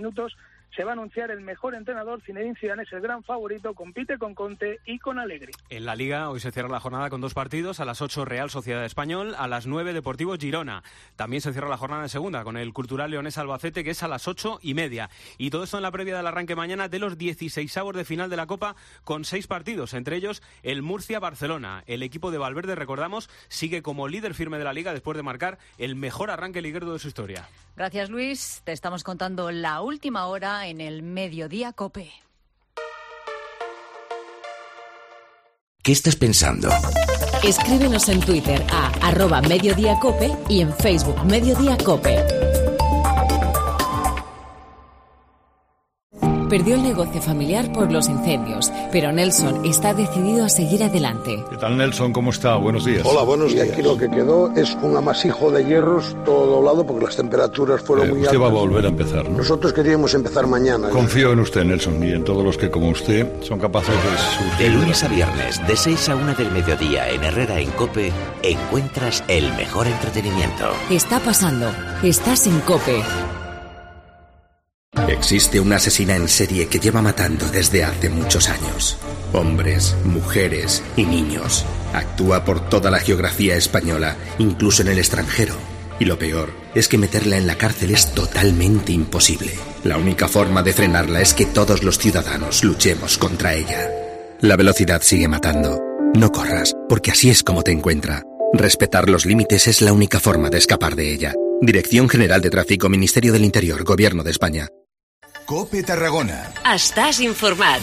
se va a anunciar el mejor entrenador. Zinedine Zidane es el gran favorito, compite con Conte y con Allegri. En la Liga hoy se cierra la jornada con 2 partidos, a las 8 Real Sociedad Español, a las 9 Deportivo Girona. También se cierra la jornada en segunda con el Cultural Leonés Albacete, que es a las 8:30. Y todo esto en la previa del arranque mañana de los 16avos de final de la Copa, con 6 partidos, entre ellos el Murcia-Barcelona. El equipo de Valverde, recordamos, sigue como líder firme de la Liga después de marcar el mejor arranque liguero de su historia. Gracias, Luis. Te estamos contando la última hora en el Mediodía COPE. ¿Qué estás pensando? Escríbenos en Twitter a @mediodíacope y en Facebook Mediodía Cope. Perdió el negocio familiar por los incendios, pero Nelson está decidido a seguir adelante. ¿Qué tal, Nelson? ¿Cómo está? Buenos días. Hola, buenos días. Y aquí lo que quedó es un amasijo de hierros todo doblado porque las temperaturas fueron muy altas. Usted va a volver a empezar, ¿no? Nosotros queríamos empezar mañana. Confío en usted, Nelson, y en todos los que, como usted, son capaces de surgir. De lunes a viernes, de 6 a 1 del mediodía, en Herrera en COPE, encuentras el mejor entretenimiento. Está pasando. Estás en COPE. Existe una asesina en serie que lleva matando desde hace muchos años. Hombres, mujeres y niños. Actúa por toda la geografía española, incluso en el extranjero. Y lo peor es que meterla en la cárcel es totalmente imposible. La única forma de frenarla es que todos los ciudadanos luchemos contra ella. La velocidad sigue matando. No corras, porque así es como te encuentra. Respetar los límites es la única forma de escapar de ella. Dirección General de Tráfico, Ministerio del Interior, Gobierno de España. COPE Tarragona. Estàs informat.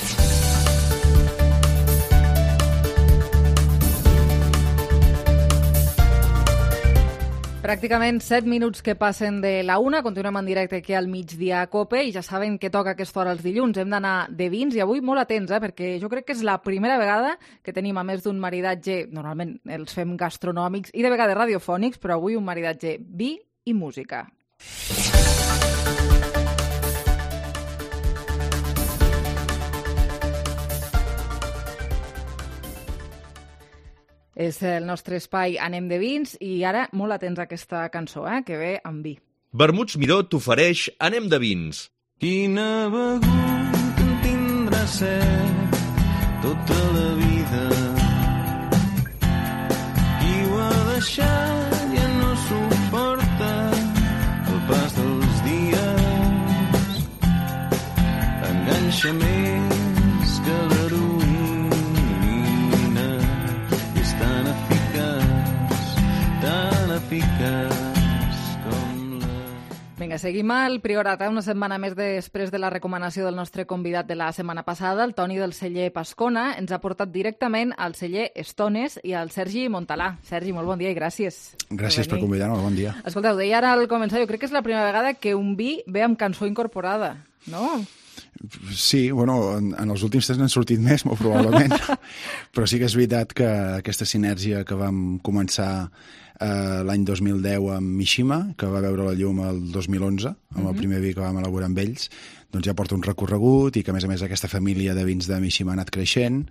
Pràcticament 7 minuts que passen de la 1. Continuem en directe aquí al Migdia a COPE i ja saben que toca aquesta hora els dilluns. Hem d'anar de vins i avui molt atents, perquè jo crec que és la primera vegada que tenim, a més d'un maridatge, normalment els fem gastronòmics i de vegades radiofònics, però avui un maridatge vi i música. És el nostre espai Anem de vins i ara molt atents a aquesta cançó, que ve amb vi. Vermuts Miró t'ofereix Anem de vins. Quina begut en tindrà set tota la vida. Qui ho ha deixat ja no suporta el pas dels dies. Enganxa més que l'heroïna. Vinga, seguim al Priorat, una setmana més després de la recomanació del nostre convidat de la setmana passada, el Toni del celler Pascona. Ens ha portat directament al celler Estones i al Sergi Montalà. Sergi, molt bon dia i gràcies. Gràcies per convidar-nos, bon dia. Escolteu, deia ara al començar, jo crec que és la primera vegada que un vi ve amb cançó incorporada, no? Sí, bueno, en els últims temps n'han sortit més, molt probablement, però sí que és veritat que aquesta sinergia que vam començar l'any 2010 amb Mishima, que va veure la llum el 2011, amb el primer vi que vam elaborar amb ells, doncs ja porta un recorregut i que, a més aquesta família de vins de Mishima ha anat creixent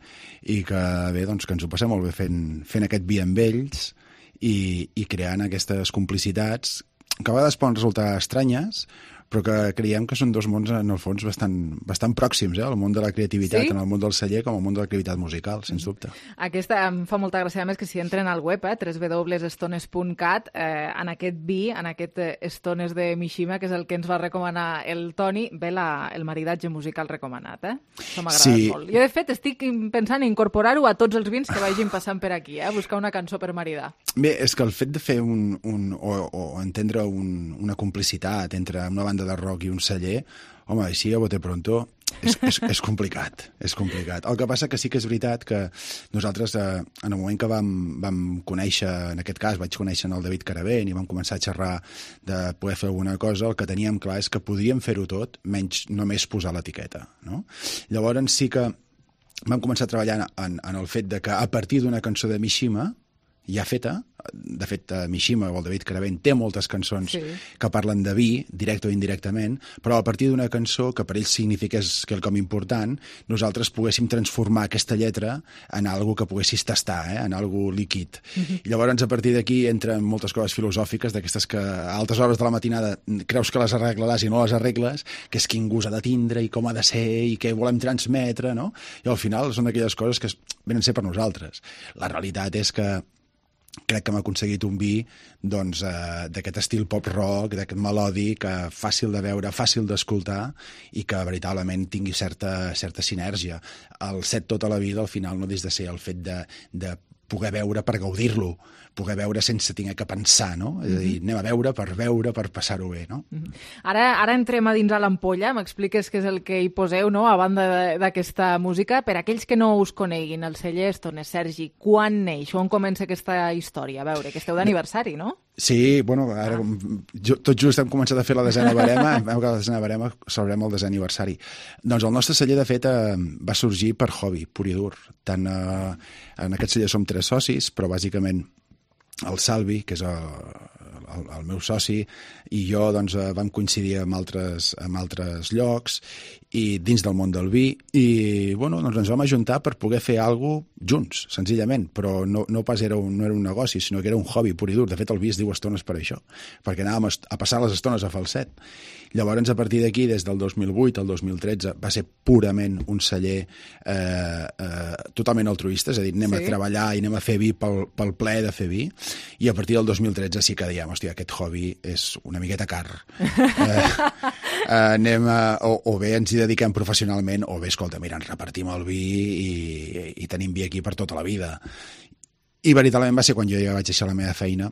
i que, bé, doncs que ens ho passem molt bé fent aquest vi amb ells i creant aquestes complicitats que a vegades poden resultar estranyes, però que creiem que són dos mons, en el fons, bastant pròxims, el món de la creativitat, en el món del celler, com el món de l'activitat musical, sens dubte. Aquesta em fa molta gràcia, a més, que si entren al web, www.estones.cat, en aquest vi, en aquest Estones de Mishima, que és el que ens va recomanar el Toni, ve el maridatge musical recomanat, Això m'agrada molt. Jo, de fet, estic pensant en incorporar-ho a tots els vins que vagin passant per aquí, buscar una cançó per maridar. Bé, és que el fet de fer o entendre una complicitat entre una banda de rock i un celler, home, així a bote pronto és complicat, és complicat. El que passa que sí que és veritat que nosaltres, en el moment que vam conèixer, en aquest cas vaig conèixer el David Caravent i vam començar a xerrar de poder fer alguna cosa, el que teníem clar és que podíem fer-ho tot, menys només posar l'etiqueta, no? Llavors sí que vam començar a treballar en el fet de que a partir d'una cançó de Mishima ja feta. De fet, Mishima o el David Caravent té moltes cançons que parlen de vi, directe o indirectament, però a partir d'una cançó que per ells signifiqués quelcom important, nosaltres poguéssim transformar aquesta lletra en algo que poguessis tastar, en algo líquid. I llavors, a partir d'aquí, entren moltes coses filosòfiques, d'aquestes que a altes hores de la matinada creus que les arreglaràs i no les arregles, que és quin gust ha de tindre i com ha de ser i què volem transmetre, no? I al final són aquelles coses que venen a ser per nosaltres. La realitat és que crec que hem aconseguit un vi d'aquest estil pop-rock, d'aquest melòdic, fàcil de veure, fàcil d'escoltar i que veritablement tingui certa sinergia. El set tota la vida, al final, no deixa de ser el fet de poder veure per gaudir-lo, poder veure sense haver que pensar, no? És a dir, anem a veure, per passar-ho bé, no? Ara entrem a dins a l'ampolla, m'expliques què és el que hi poseu, no?, a banda d'aquesta música. Per aquells que no us coneguin, el celler Estones, Sergi, quan neix? On comença aquesta història? A veure, que esteu d'aniversari, no? Sí, bueno, ara tot just hem començat a fer la desena barema, hem acabat la desena barema, celebrem el desè aniversari. Doncs el nostre celler, de fet, va sorgir per hobby, pur i dur. Tant en aquest celler som 3 socis, però bàsicament el Salvi, que és el meu soci, i jo vam coincidir en altres llocs i dins del món del vi, i ens vam ajuntar per poder fer alguna cosa junts, senzillament, però no pas era un negoci, sinó que era un hobby pur i dur. De fet, el vi es diu Estones per això, perquè anàvem a passar les estones a falset. Llavors, a partir d'aquí, des del 2008 al 2013, va ser purament un celler totalment altruista, és a dir, anem a treballar i anem a fer vi pel plaer de fer vi, i a partir del 2013 sí que dèiem, hòstia, aquest hobby és una miqueta car. O bé ens hi dediquem professionalment, o bé, escolta, mira, ens repartim el vi i tenim vi aquí per tota la vida. I veritablement va ser quan jo ja vaig deixar la meva feina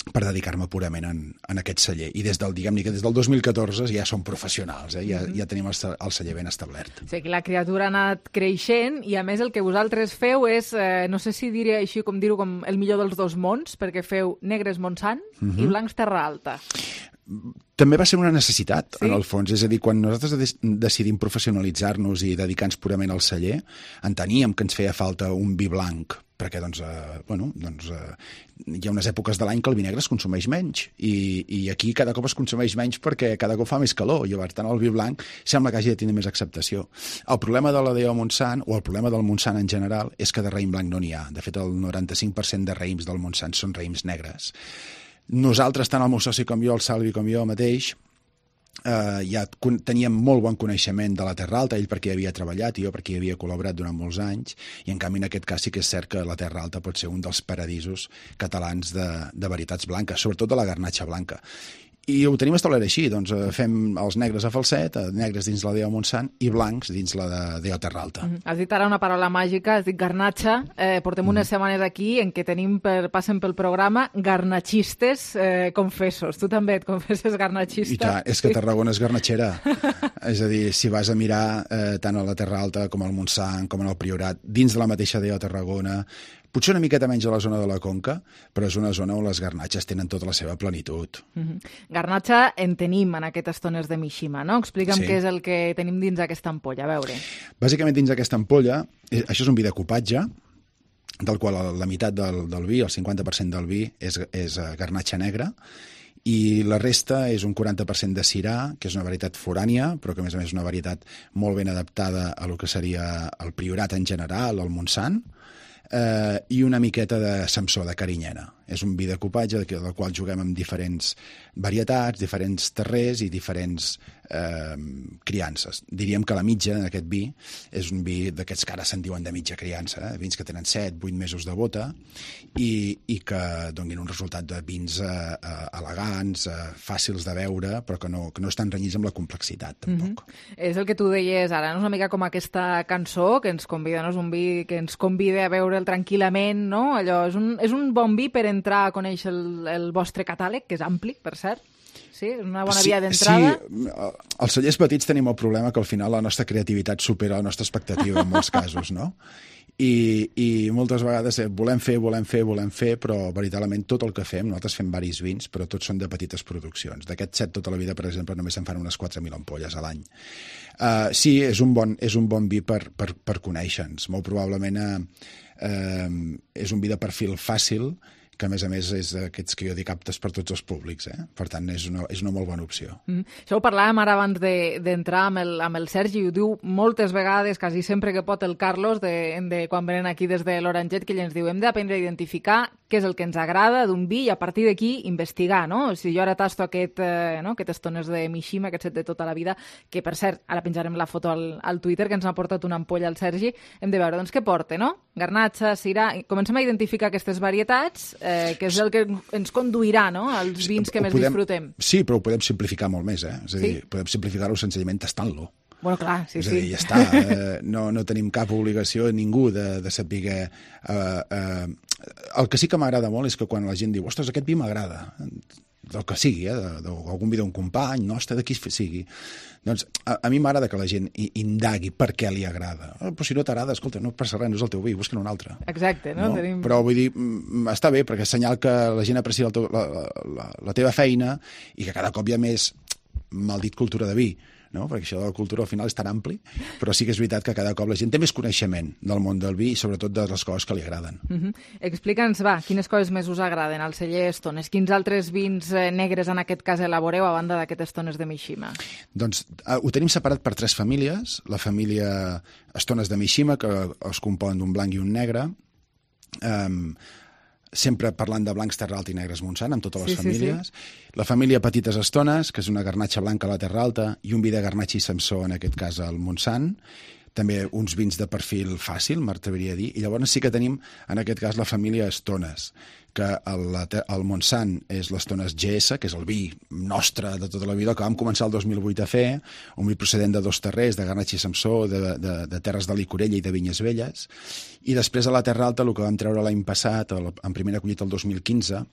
per dedicar-me purament en aquest celler. I des del 2014 ja som professionals, ja tenim el celler ben establert. O sigui, la criatura ha anat creixent i, a més, el que vosaltres feu és, no sé si diré així com dir-ho, com el millor dels dos mons, perquè feu negres Montsant i blancs Terra Alta. També va ser una necessitat, en el fons. És a dir, quan nosaltres decidim professionalitzar-nos i dedicar-nos purament al celler, enteníem que ens feia falta un vi blanc, perquè hi ha unes èpoques de l'any que el vi negre es consumeix menys i aquí cada cop es consumeix menys perquè cada cop fa més calor i, per tant, el vi blanc sembla que hagi de tenir més acceptació. El problema de la DO Montsant, o el problema del Montsant en general, és que de raïm blanc no n'hi ha. De fet, el 95% de raïms del Montsant són raïms negres. Nosaltres, tant el meu soci com jo, el Salvi com jo mateix, ja teníem molt bon coneixement de la Terra Alta, ell perquè hi havia treballat i jo perquè hi havia col·laborat durant molts anys, i en canvi en aquest cas sí que és cert que la Terra Alta pot ser un dels paradisos catalans de varietats blanques, sobretot de la garnatxa blanca. I ho tenim establert així, doncs fem els negres a falset, negres dins la DO Montsant i blancs dins la DO Terra Alta. Has dit ara una paraula màgica, has dit garnatxa. Portem unes setmanes aquí en què passen pel programa garnatxistes confessos. Tu també et confesses garnatxista? I clar, és que Tarragona és garnatxera. És a dir, si vas a mirar tant a la Terra Alta com al Montsant, com en el Priorat, dins de la mateixa DO Tarragona, potser una miqueta menys a la zona de la Conca, però és una zona on les garnatxes tenen tota la seva plenitud. Garnatxa en tenim en aquestes Estones de Mishima, no? Explica'm què és el que tenim dins aquesta ampolla, a veure. Bàsicament dins aquesta ampolla, això és un vi de copatge, del qual la meitat del vi, el 50% del vi, és garnatxa negra, i la resta és un 40% de cirà, que és una varietat forània, però que a més és una varietat molt ben adaptada a lo que seria el Priorat en general, el Montsant, i una miqueta de Samsó, de Carinyena. És un vi de copatge del qual juguem amb diferents varietats, diferents terrers i diferents criances. Diríem que la mitja d'aquest vi és un vi d'aquests que ara se'n diuen de mitja criança, vins que tenen 7-8 mesos de bota i que donin un resultat de vins elegants, fàcils de veure, però que no estan renyits amb la complexitat, tampoc. És el que tu deies ara, no? És una mica com aquesta cançó que ens convida, no? És un vi que ens convida a veure'l tranquil·lament, no? Allò, és un bon vi per entrar a conèixer el vostre catàleg, que és ampli, per cert. Sí, és una bona via d'entrada. Sí, els cellers petits tenim el problema que al final la nostra creativitat supera la nostra expectativa en molts casos, no? I moltes vegades volem fer, però veritablement tot el que fem, nosaltres fem varis vins, però tots són de petites produccions. D'aquest set tota la vida, per exemple, només se'n fan unes 4.000 ampolles a l'any. Sí, és un bon vi per conèixer-nos. Molt probablement és un vi de perfil fàcil, que a més és d'aquests que jo dic aptes per tots els públics. Per tant, és una molt bona opció. Això ho parlàvem ara abans d'entrar amb el Sergi, ho diu moltes vegades, quasi sempre que pot, el Carlos, quan venen aquí des de l'Oranget, que ell ens diu, hem d'aprendre a identificar què és el que ens agrada d'un vi i a partir d'aquí investigar, no? Si jo ara tasto aquestes tones de Mishima, aquest set de tota la vida, que per cert, ara penjarem la foto al Twitter, que ens ha portat una ampolla al Sergi, hem de veure, doncs, què porta, no? Garnatxa, Syrah, comencem a identificar aquestes varietats, que és el que ens conduirà, no?, als vins que més disfrutem. Sí, però ho podem simplificar molt més, És a dir, podem simplificar-ho senzillament tastant-lo. Bueno, clar, sí. És a dir, ja està. No tenim cap obligació ningú de saber... El que sí que m'agrada molt és que quan la gent diu ostres, aquest vi m'agrada, del que sigui, d'algun vi d'un company, nostre, de qui sigui. Doncs a mi m'agrada que la gent indagui per què li agrada. Però si no t'agrada, escolta, no passa res, no és el teu vi, busca'n un altre. Exacte, no? Però vull dir, està bé, perquè és senyal que la gent aprecia la teva feina i que cada cop hi ha més, mal dit, cultura de vi, no? Perquè això de la cultura al final és tan ampli, però sí que és veritat que cada cop la gent té més coneixement del món del vi i sobretot de les coses que li agraden. Explica'ns, quines coses més us agraden al celler Estones? Quins altres vins negres en aquest cas elaboreu a banda d'aquestes tones de Mishima? Doncs ho tenim separat per 3 famílies. La família Estones de Mishima, que es compon d'un blanc i un negre, sempre parlant de blancs Terra Alta i negres Montsant, amb totes les famílies. Sí. La família Petites Estones, que és una garnatxa blanca a la Terra Alta, i un vi de garnatxa i Samsó, en aquest cas al Montsant. També uns vins de perfil fàcil, m'atreviria a dir. I llavors sí que tenim, en aquest cas, la família Estones, que el Montsant és l'Estones GS, que és el vi nostre de tota la vida, que vam començar el 2008 a fer, un vi procedent de 2 terrers, de garnatxa i Samsó, de terres de Licorella i de Vinyes Velles. I després a la Terra Alta, el que vam treure l'any passat, en primera collita el 2015,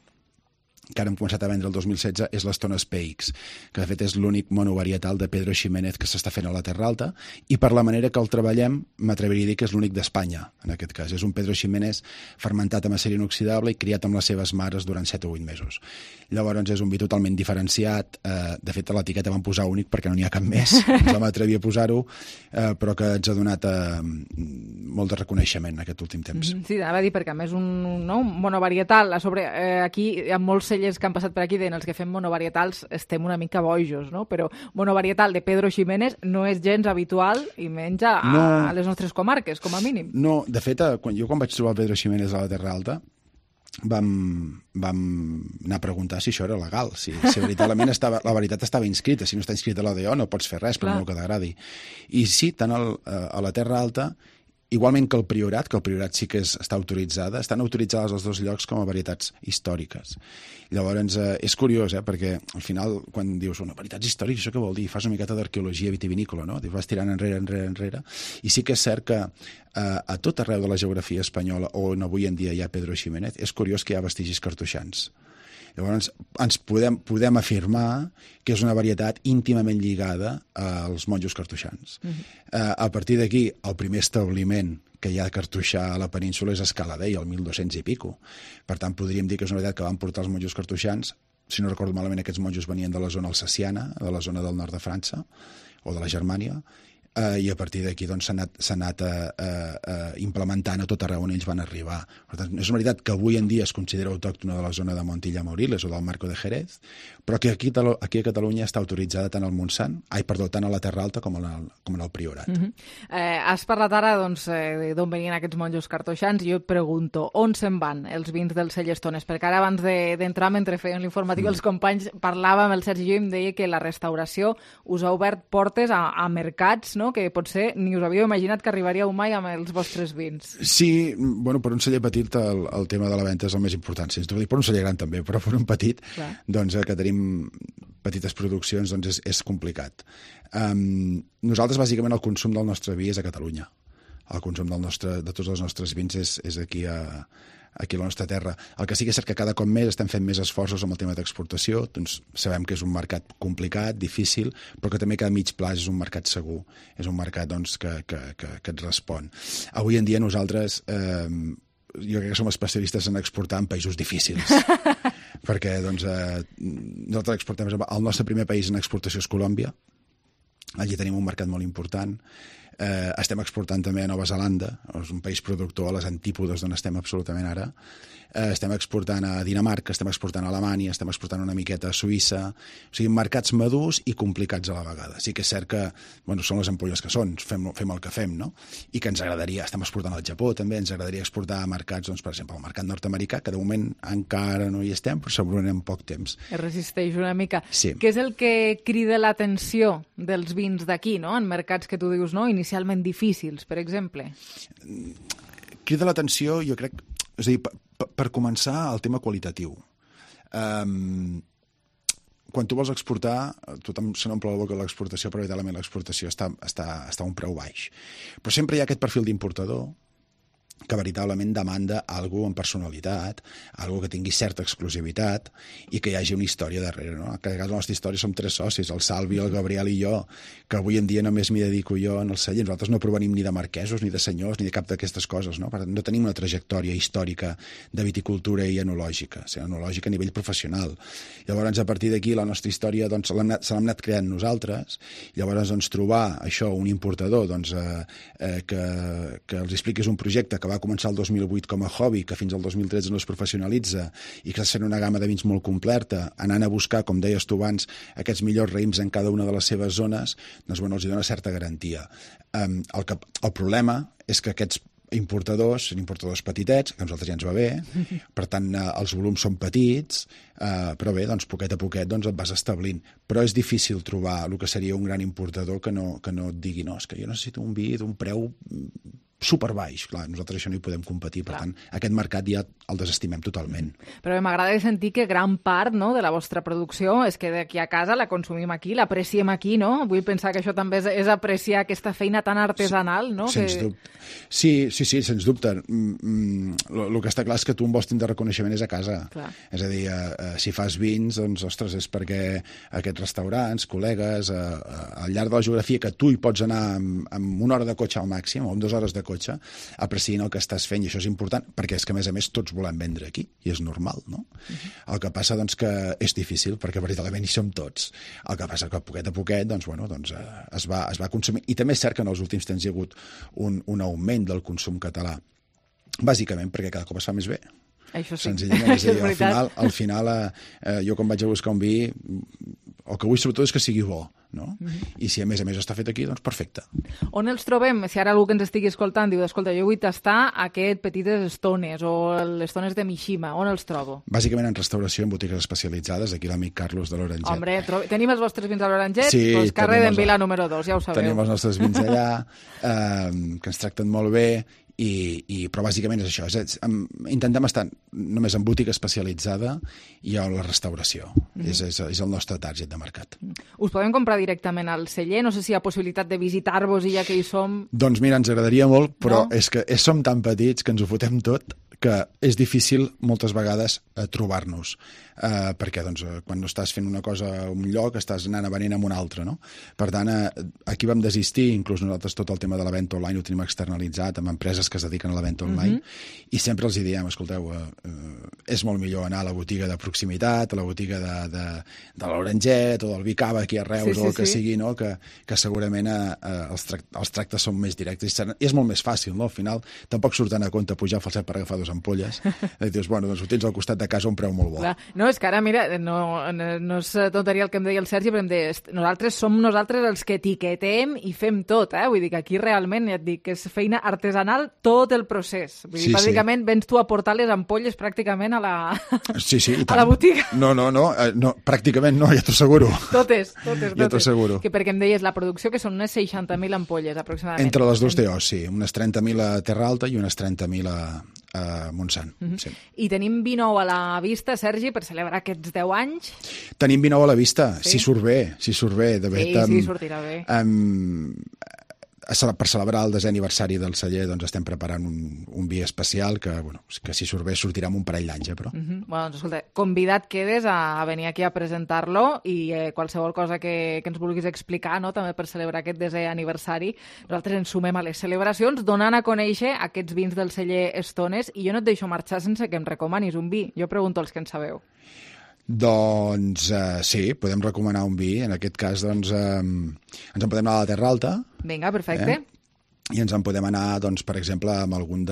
que ara hem començat a vendre el 2016, és l'Estones PX, que de fet és l'únic monovarietal de Pedro Ximénez que s'està fent a la Terra Alta, i per la manera que el treballem, m'atreviria a dir que és l'únic d'Espanya, en aquest cas. És un Pedro Ximénez fermentat amb acer inoxidable i criat amb les seves mares durant 7 o 8 mesos. Llavors és un vi totalment diferenciat. De fet, a l'etiqueta vam posar únic perquè no n'hi ha cap més, ens vam atrevir a posar-ho, però que ens ha donat molt de reconeixement en aquest últim temps. Sí, anava a dir, perquè a més un monovarietal, a sobre, aquí hi ha molts cellers que han passat per aquí deien els que fem monovarietals estem una mica bojos, no? Però monovarietal de Pedro Ximénez no és gens habitual i menys a les nostres comarques, com a mínim. No, de fet, quan vaig trobar el Pedro Ximénez a la Terra Alta, vam anar a preguntar si això era legal, si veritablement la veritat estava inscrita. Si no està inscrita a l'ADO no pots fer res, per molt que t'agradi. I sí, tant a la Terra Alta, igualment que el Priorat sí que està autoritzada, estan autoritzades els 2 llocs com a varietats històriques. Llavors, és curiós, perquè al final, quan dius varietats històriques, això què vol dir? Fas una miqueta d'arqueologia vitivinícola, no? Vas tirant enrere. I sí que és cert que a tot arreu de la geografia espanyola, on avui en dia hi ha Pedro Ximénez, és curiós que hi ha vestigis cartoixans. Llavors, ens podem afirmar que és una varietat íntimament lligada als monjos cartoixans. A partir d'aquí, el primer establiment que hi ha cartoixà a la península és Escaladei, el 1200 i pico. Per tant, podríem dir que és una varietat que van portar els monjos cartoixans. Si no recordo malament, aquests monjos venien de la zona alsaciana, de la zona del nord de França, o de la Germània, i a partir d'aquí s'ha anat implementant a tot arreu on ells van arribar. Per tant, és una veritat que avui en dia es considera autòctona de la zona de Montilla Moriles o del Marco de Jerez, però que aquí a Catalunya està autoritzada tant al Montsant, tant a la Terra Alta com en el Priorat. Has parlat ara d'on venien aquests monjos cartoixans i jo et pregunto, on se'n van els vins del celler Estones? Perquè ara abans d'entrar, mentre feien l'informatiu, els companys parlàvem, el Sergi i jo, em deia que la restauració us ha obert portes a mercats, no? Que potser ni us havíeu imaginat que arribaríeu mai amb els vostres vins. Sí, per un celler petit el tema de la venda és el més important, sens dubte. Per un celler gran també, però per un petit, doncs, que tenim petites produccions, doncs és complicat. Nosaltres, bàsicament, el consum del nostre vi és a Catalunya. El consum de tots els nostres vins és aquí aquí a la nostra terra. El que sí que és cert que cada cop més estem fent més esforços amb el tema d'exportació, doncs sabem que és un mercat complicat, difícil, però que també que a mig plaç és un mercat segur, és un mercat doncs, que et respon. Avui en dia nosaltres, jo crec que som especialistes en exportar en països difícils, perquè doncs, nosaltres exportem, el nostre primer país en exportació és Colòmbia, allí tenim un mercat molt important. Estem exportant també a Nova Zelanda, és un país productor a les antípodes d'on estem absolutament ara. Estem exportant a Dinamarca, estem exportant a Alemanya, estem exportant una miqueta a Suïssa. O sigui, mercats madurs i complicats a la vegada. Sí que és cert que són les ampolles que són, fem el que fem, no? I que ens agradaria, estem exportant al Japó també, ens agradaria exportar a mercats, doncs, per exemple, al mercat nord-americà, que de moment encara no hi estem, però segurament en poc temps. Es resisteix una mica. Sí. Què és el que crida l'atenció dels vins d'aquí, no? En mercats que tu dius, no? Inicialment difícils, per exemple. Crida l'atenció, jo crec, és a dir, per començar, el tema qualitatiu. Quan tu vols exportar, tothom se n'omple la boca de l'exportació, però veritablement l'exportació està a un preu baix. Però sempre hi ha aquest perfil d'importador que veritablement demanda alguna amb personalitat, alguna que tingui certa exclusivitat i que hi hagi una història darrere, no? Que a la nostra història som 3 socis, el Salvi, el Gabriel i jo, que avui en dia només m'hi dedico jo en el celler. Nosaltres no provenim ni de marquesos, ni de senyors, ni de cap d'aquestes coses, no? Per tant, no tenim una trajectòria històrica de viticultura i enològica, o sigui, enològica a nivell professional. Llavors, a partir d'aquí, la nostra història doncs, se l'hem anat creant nosaltres. Llavors, doncs, trobar això, un importador doncs, que els expliquis un projecte que va començar el 2008 com a hobby, que fins al 2013 no es professionalitza i que està fent una gamma de vins molt completa, anant a buscar, com deies tu abans, aquests millors raïms en cada una de les seves zones, doncs bueno, els dona certa garantia. El problema és que aquests importadors són importadors petitets, que a nosaltres ja ens va bé, per tant els volums són petits, però bé, doncs poquet a poquet doncs, et vas establint. Però és difícil trobar el que seria un gran importador que no et digui no, és que jo necessito un vi d'un preu superbaix. Clar, nosaltres això no hi podem competir, per tant, aquest mercat ja el desestimem totalment. Però m'agrada sentir que gran part, no, de la vostra producció és que d'aquí a casa la consumim aquí, l'apreciem aquí, no? Vull pensar que això també és apreciar aquesta feina tan artesanal, no? Sens dubte. Sí, sens dubte. El que està clar és que tu on vols tindre reconeixement és a casa. Clar. És a dir, si fas vins, doncs, ostres, és perquè aquests restaurants, col·legues, al llarg de la geografia, que tu hi pots anar amb 1 hora de cotxe al màxim, o amb 2 hores de cotxe, aprecien el que estàs fent, i això és important, perquè és que, a més, tots volem vendre aquí, i és normal, no? El que passa, doncs, que és difícil, perquè veritablement hi som tots. El que passa que poquet a poquet, doncs, bueno, doncs, es va consumir. I també és cert que en els últims temps hi ha hagut un augment del consum català, bàsicament perquè cada cop es fa més bé. Això sí. Senzillament, és a dir, al final jo quan vaig a buscar un vi, el que vull sobretot és que sigui bo, no? I si a més està fet aquí, doncs perfecte. On els trobem? Si ara algú que ens estigui escoltant diu, escolta, jo vull tastar aquest petites estones o les estones de Mishima, on els trobo? Bàsicament en restauració, en botigues especialitzades, aquí l'amic Carlos de l'Oranget. Hombre, tenim els vostres vins a l'Oranget? Sí, doncs carrer d'en Vila número 2, ja ho sabeu. Tenim els nostres vins allà, que ens tracten molt bé, però bàsicament és això, intentem estar només en botiga especialitzada i a la restauració. És el nostre target de mercat. Us podem comprar directament al celler? No sé si hi ha possibilitat de visitar-vos i ja que hi som... Doncs mira, ens agradaria molt, però és que som tan petits que ens ho fotem tot que és difícil moltes vegades trobar-nos, perquè doncs, quan no estàs fent una cosa a un lloc estàs anant a venent a un altre, no? Per tant, aquí vam desistir, inclús nosaltres tot el tema de la venda online ho tenim externalitzat amb empreses que es dediquen a la venda online, i sempre els diem, escolteu, és molt millor anar a la botiga de proximitat, a la botiga de l'Oranget o del Vicava aquí a Reus o el que sigui, no? Que segurament els tractes són més directes i és molt més fàcil, no? Al final tampoc surten a compte pujar al falset per agafar 2 ampolles, i dius, bueno, doncs ho tens al costat de casa a un preu molt bo. Clar. No, és que ara, mira, no és tonteria el que em deia el Sergi, però em deia, nosaltres som els que etiquetem i fem tot, vull dir que aquí realment, ja et dic, que és feina artesanal tot el procés. Vull dir, bàsicament vens tu a portar les ampolles pràcticament a la botiga. No, pràcticament no, ja t'ho asseguro. Totes. Ja t'ho asseguro. Que perquè em deies, la producció que són unes 60.000 ampolles aproximadament. Entre les dues TOs, sí, unes 30.000 a Terra Alta i unes 30.000 a Montsant. Sí. I tenim vi nou a la vista, Sergi, per celebrar aquests 10 anys? Tenim vi nou a la vista, si surt bé, de fet. Sí, sortirà bé. per celebrar el 10è aniversari del celler doncs estem preparant un vi especial que si surt bé sortirà amb un parell d'anys, però. Bueno, doncs escolta, convidat quedes a venir aquí a presentar-lo i qualsevol cosa que ens vulguis explicar, no?, també per celebrar aquest 10è aniversari. Nosaltres ens sumem a les celebracions donant a conèixer aquests vins del celler Estones i jo no et deixo marxar sense que em recomanis un vi. Jo pregunto als que en sabeu. Doncs sí, podem recomanar un vi. En aquest cas, doncs, ens en podem anar a la Terra Alta. Vinga, perfecte. I ens en podem anar, doncs, per exemple, amb algun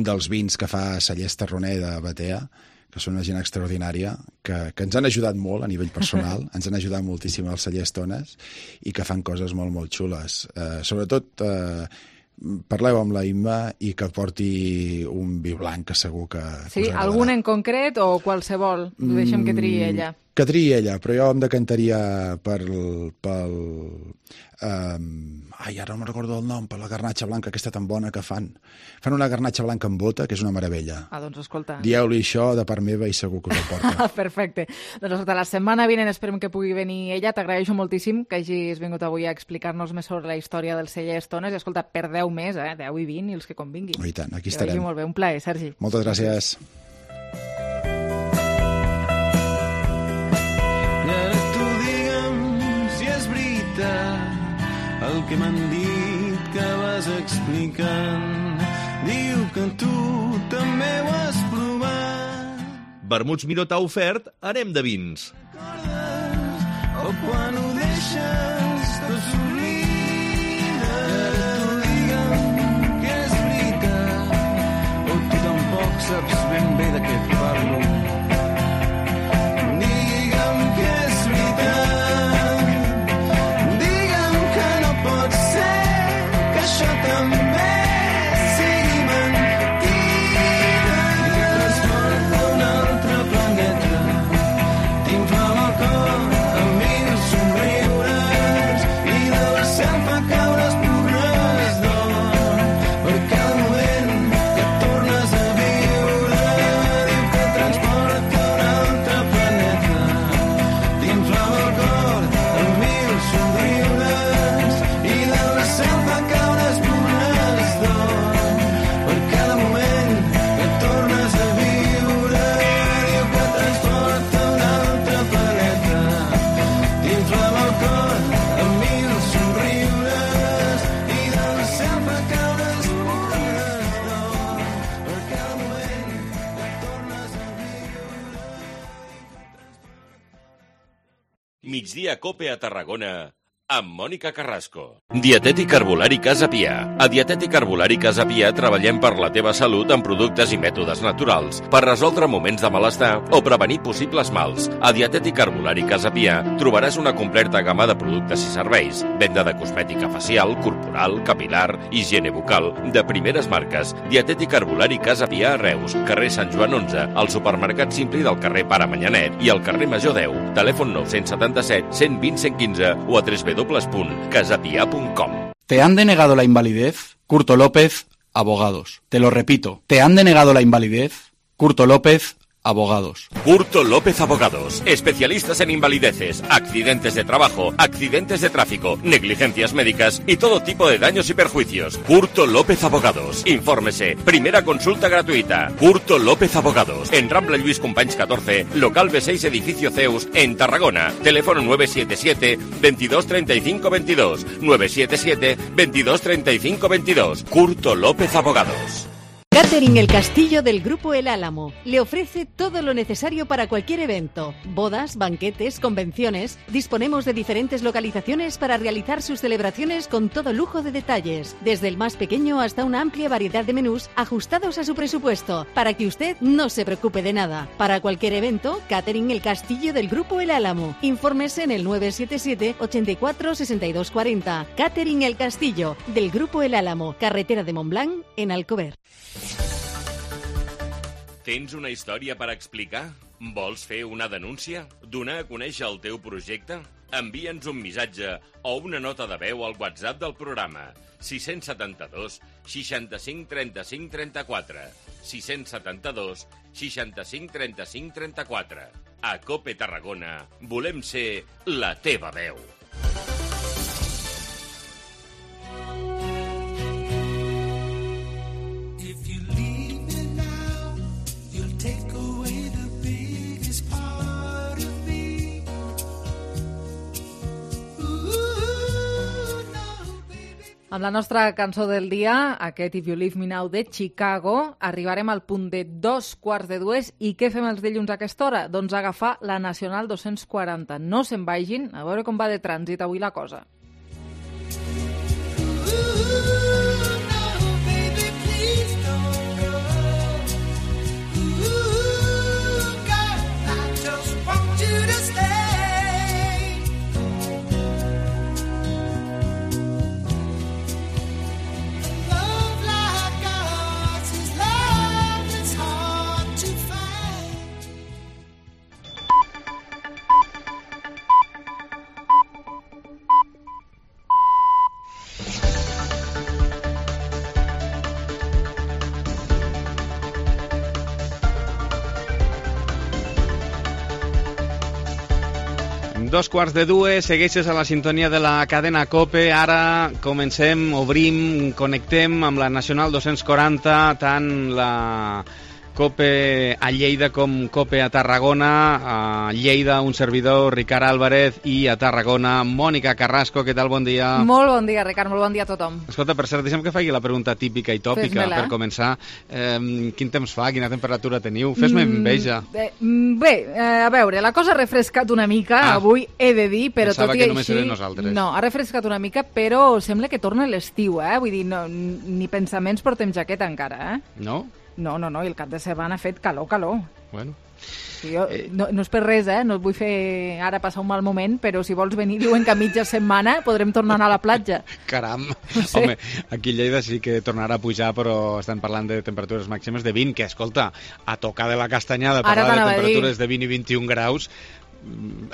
dels vins que fa Cellers Tarroner de Batea, que són una gent extraordinària, que ens han ajudat molt a nivell personal, ens han ajudat moltíssim als Cellers Estones i que fan coses molt, molt xules. Sobretot, parleu amb la Imma i que porti un vi blanc que segur que sí, algun en concret o qualsevol? Deixem que triï ella. Que triï ella, però jo em decantaria ara no recordo el nom, per la garnatxa blanca aquesta tan bona que fan. Fan una garnatxa blanca amb bota, que és una meravella. Doncs escolta. Dieu-li això de part meva i segur que us ho porta. Perfecte. Doncs la setmana vinent esperem que pugui venir ella. T'agraeixo moltíssim que hagis vingut avui a explicar-nos més sobre la història del celler Estones. I escolta, per 10 més, 10 i 20 i els que convinguin. I tant, aquí estarem. Molt bé, un plaer, Sergi. Moltes gràcies. El que m'han dit que vas explicant diu que tu també ho has provat. Vermuts Miró t'ha ofert Anem de vins. O quan ho deixes tot s'oblida. Tu digue'm que és veritat o tu tampoc saps ben bé de què et parlo. Digue'm que és veritat. Això també sigui mentida. I transporta un altre planeta. T'inflama el cor amb mil somriures i del cel fa caure espurnes d'or per cada moment que tornes a viure. Diu que transporta un altre planeta. T'inflama el cor amb mil somriures i del cel fa caure Migdia Cope a Tarragona amb Mònica Carrasco. Dietètic Herbolari Casa Pia. A Dietètic Herbolari Casa Pia treballem per la teva salut amb productes i mètodes naturals per resoldre moments de malestar o prevenir possibles mals. A Dietètic Herbolari Casa Pia trobaràs una completa gamma de productes i serveis. Venda de cosmètica facial, corporal, capilar, higiene bucal, de primeres marques. Dietètic Herbolari Casa Pia a Reus, carrer Sant Joan 11, al supermercat Simpli del carrer Pare Manyanet i al carrer Major 10. Telèfon 977 120 115 o a www.casapia.com. ¿Te han denegado la invalidez? Curto López, abogados. Te lo repito. ¿Te han denegado la invalidez? Curto López, abogados. Curto López Abogados. Especialistas en invalideces, accidentes de trabajo, accidentes de tráfico, negligencias médicas y todo tipo de daños y perjuicios. Curto López Abogados. Infórmese. Primera consulta gratuita. Curto López Abogados. En Rambla Lluís Companys 14, local B6, edificio Zeus, en Tarragona. Teléfono 977 22 35 22. 977 22 35 22. Curto López Abogados. Catering El Castillo del Grupo El Álamo le ofrece todo lo necesario para cualquier evento, bodas, banquetes, convenciones. Disponemos de diferentes localizaciones para realizar sus celebraciones con todo lujo de detalles, desde el más pequeño hasta una amplia variedad de menús ajustados a su presupuesto, para que usted no se preocupe de nada. Para cualquier evento, Catering El Castillo del Grupo El Álamo. Infórmese en el 977 84 62 40. Catering El Castillo del Grupo El Álamo, carretera de Montblanc, en Alcover. Tens una història per explicar? Vols fer una denúncia? Donar a conèixer el teu projecte? Envia'ns un missatge o una nota de veu al WhatsApp del programa 672 65 35 34 672 65 35 34. A COPE Tarragona volem ser la teva veu. Amb la nostra cançó del dia, aquest If You Leave Me Now de Chicago, arribarem al punt de 2:45. I què fem els dilluns a aquesta hora? Doncs agafar la Nacional 240. No se'n vagin, a veure com va de trànsit avui la cosa. Dos quarts de dues, segueixes a la sintonia de la cadena COPE. Ara comencem, obrim, connectem amb la Nacional 240, tant la COPE a Lleida com COPE a Tarragona. A Lleida, un servidor, Ricard Álvarez, i a Tarragona, Mònica Carrasco. Què tal? Bon dia. Molt bon dia, Ricard, molt bon dia a tothom. Escolta, per cert, deixa'm que faci la pregunta típica i tòpica per començar. Quin temps fa? Quina temperatura teniu? Fes-me enveja. Bé, a veure, la cosa ha refrescat una mica, avui he de dir, però tot i que només així... eren nosaltres. No, ha refrescat una mica, però sembla que torna l'estiu, Vull dir, no, ni pensaments portem jaqueta encara, No? No, i el cap de setmana ha fet calor. Bueno. Jo, no és per res, no et vull fer ara passar un mal moment, però si vols venir, diuen que a mitja setmana podrem tornar a anar a la platja. Caram! No sé. Home, aquí a Lleida sí que tornarà a pujar, però estan parlant de temperatures màximes de 20, que, escolta, a tocar de la castanyada, parlar de temperatures de 20 i 21 graus,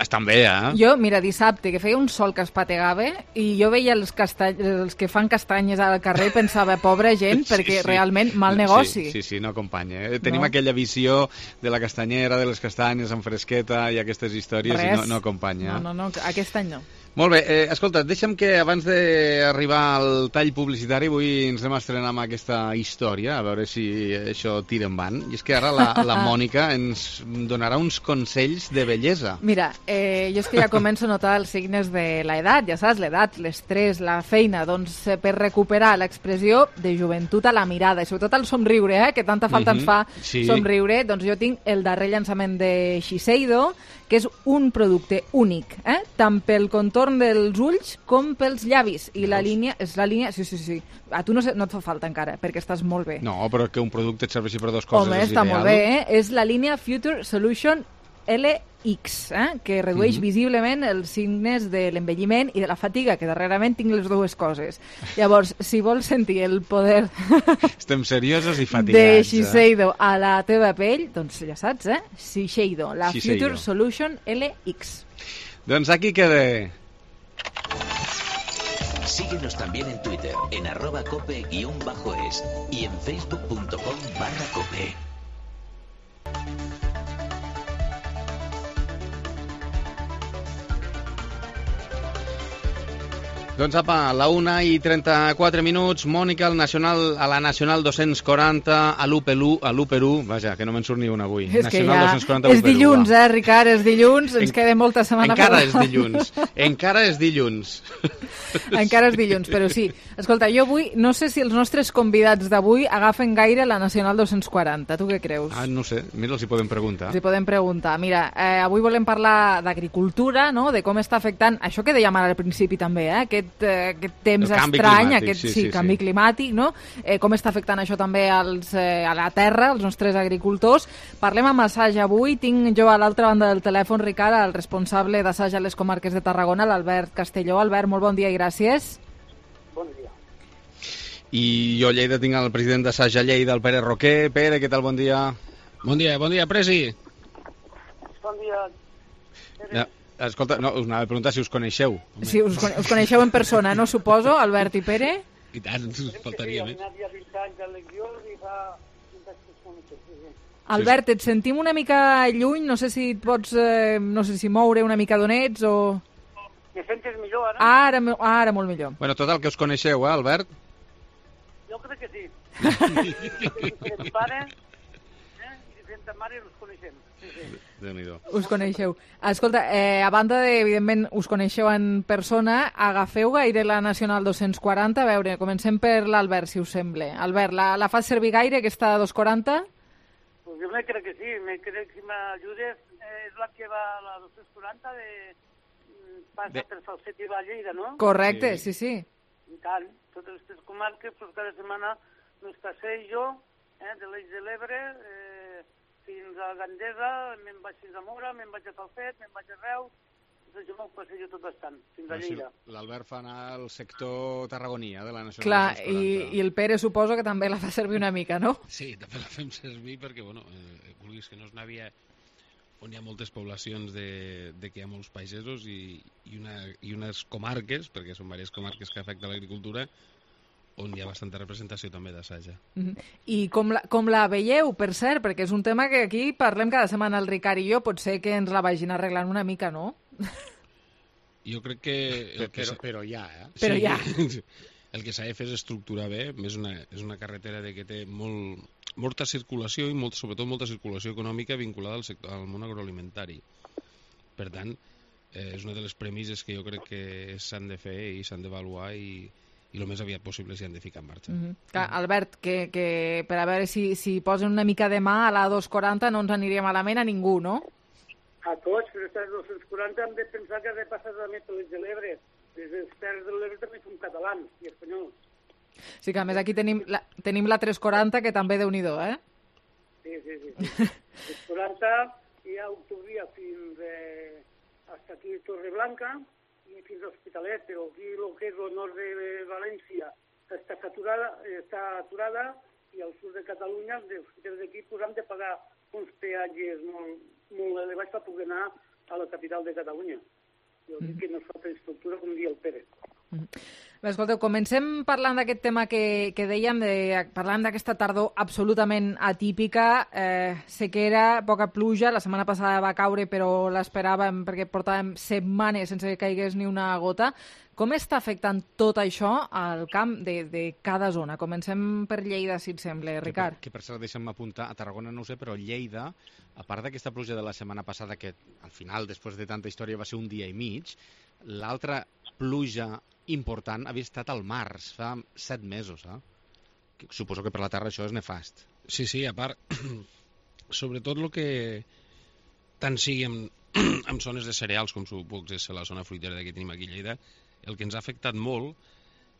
estan bé, Jo, mira, dissabte, que feia un sol que es pategava, i jo veia els que fan castanyes al carrer i pensava, pobra gent, perquè realment mal negoci. Sí, no acompanya. Tenim aquella visió de la castanyera, de les castanyes amb fresqueta i aquestes històries, i no acompanya. No, aquest any no. Molt bé, escolta, deixa'm que abans d'arribar al tall publicitari avui ens anem a estrenar amb aquesta història, a veure si això tira endavant. I és que ara la Mònica ens donarà uns consells de bellesa. Mira, jo és que ja començo a notar els signes de l'edat, ja saps, l'edat, l'estrès, la feina, doncs per recuperar l'expressió de joventut a la mirada, i sobretot el somriure, que tanta falta ens fa somriure, doncs jo tinc el darrer llançament de Shiseido, que és un producte únic, tant pel contorn dels ulls com pels llavis. I la línia és la línia... Sí. A tu no et fa falta encara, perquè estàs molt bé. No, però que un producte et serveixi per dues coses és ideal. Home, està molt bé, És la línia Future Solution LX, que redueix visiblement els signes de l'envelliment i de la fatiga, que darrerament tinc les dues coses. Llavors, si vols sentir el poder... Estem seriosos i fatigats. De Shiseido a la teva pell, doncs ja saps, Shiseido, la Future Solution LX. Doncs aquí queda. Síguenos también en Twitter, en @cope_es y en facebook.com/cope. Doncs apa, a la 1:34, Mònica, a la Nacional 240, a l'U-Perú, vaja, que no me'n surt ni una avui. És que ja és dilluns, Ricard, és dilluns, ens queda molta setmana. Encara és dilluns. Encara és dilluns, però sí. Escolta, jo avui, no sé si els nostres convidats d'avui agafen gaire la Nacional 240, tu què creus? No sé, mira, els hi podem preguntar. Mira, avui volem parlar d'agricultura, no?, de com està afectant, això que dèiem ara al principi també, aquest temps estrany, aquest canvi climàtic, no? Com està afectant això també a la terra, als nostres agricultors. Parlem amb Assaja avui. Tinc jo a l'altra banda del telèfon, Ricard, el responsable d'Assaja a les comarques de Tarragona, l'Albert Castelló. Albert, molt bon dia i gràcies. Bon dia. I jo a Lleida tinc el president d'Assaja Lleida, el Pere Roquer. Pere, què tal? Bon dia. Bon dia, Presi. Bon dia. Escolta, no, us anava a preguntar si us coneixeu. Sí, us coneixeu en persona, no suposo, Albert i Pere? I tant, us faltaria més. Albert, et sentim una mica lluny, no sé si et pots moure una mica d'on ets o... Me sentes millor ara? Ara molt millor. Bueno, total, que us coneixeu, Albert? Jo crec que sí. Diferents pares, diferents ta mare us coneixem. Sí, sí. Déu-n'hi-do. Us coneixeu. Escolta, a banda de, evidentment, us coneixeu en persona, agafeu gaire la Nacional 240? A veure, comencem per l'Albert, si us sembla. Albert, la fas servir gaire, aquesta 240? Pues jo me crec que sí, me crec que si m'ajudes, és la que va a la 240 passa per Falset i va a Lleida, no? Correcte, sí, sí. I tant, totes les comarques, pues cada setmana nos passejo de l'Eix de l'Ebre fins a Gandesa, me'n vaig fins a Mora, me'n vaig a Falset, me'n vaig a Reus, doncs jo me'l passejo tot bastant, fins a Lleida. L'Albert fa anar al sector tarragoní, de la Nacional. Clar, i el Pere suposo que també la fa servir una mica, no? Sí, també la fem servir perquè, bueno, vulguis que no es n'havia on hi ha moltes poblacions de que hi ha molts pagesos i unes comarques, perquè són diverses comarques que afecten l'agricultura, on hi ha bastanta representació també d'assaja. I com la veieu, per cert? Perquè és un tema que aquí parlem cada setmana el Ricard i jo, potser que ens la vagin arreglant una mica, no? Jo crec que... Però ja, Però ja. El que s'ha de fer és estructurar bé, és una carretera que té molta circulació i sobretot molta circulació econòmica vinculada al món agroalimentari. Per tant, és una de les premisses que jo crec que s'han de fer i s'han d'avaluar i el més aviat possible s'hi han de ficar en marxa. Albert, que per a veure si posen una mica de mà a la 240 no ens aniria malament a ningú, no? A tots, però aquestes 240 hem de pensar que ha de passar també per l'Eix de l'Ebre. Les terres de l'Ebre també són catalans i espanyols. Sí, que a més aquí tenim la 340, que també déu-n'hi-do, eh? Sí. 340 hi ha autovia fins hasta aquí Torreblanca i fins a Hospitalet, però aquí el que és el nord de València està aturada i al sud de Catalunya, des d'aquí hem de pagar uns peatges molt elevats per poder anar a la capital de Catalunya. Jo dic que no es fa per estructura, com diu el Pere. Bé, escolteu, comencem parlant d'aquest tema que dèiem, parlant d'aquesta tardor absolutament atípica, sequera, poca pluja, la setmana passada va caure però l'esperàvem perquè portàvem setmanes sense que caigués ni una gota. Com està afectant tot això al camp de cada zona? Comencem per Lleida, si et sembla, Ricard. Que per cert, deixa'm apuntar, a Tarragona no ho sé, però Lleida, a part d'aquesta pluja de la setmana passada, que al final, després de tanta història, va ser un dia i mig, l'altra pluja important havia estat al març, fa 7 mesos, Suposo que per la terra això és nefast. Sí, a part, sobretot el que tant sigui en zones de cereals, com pot ser la zona fruitera que tenim aquí a Lleida, el que ens ha afectat molt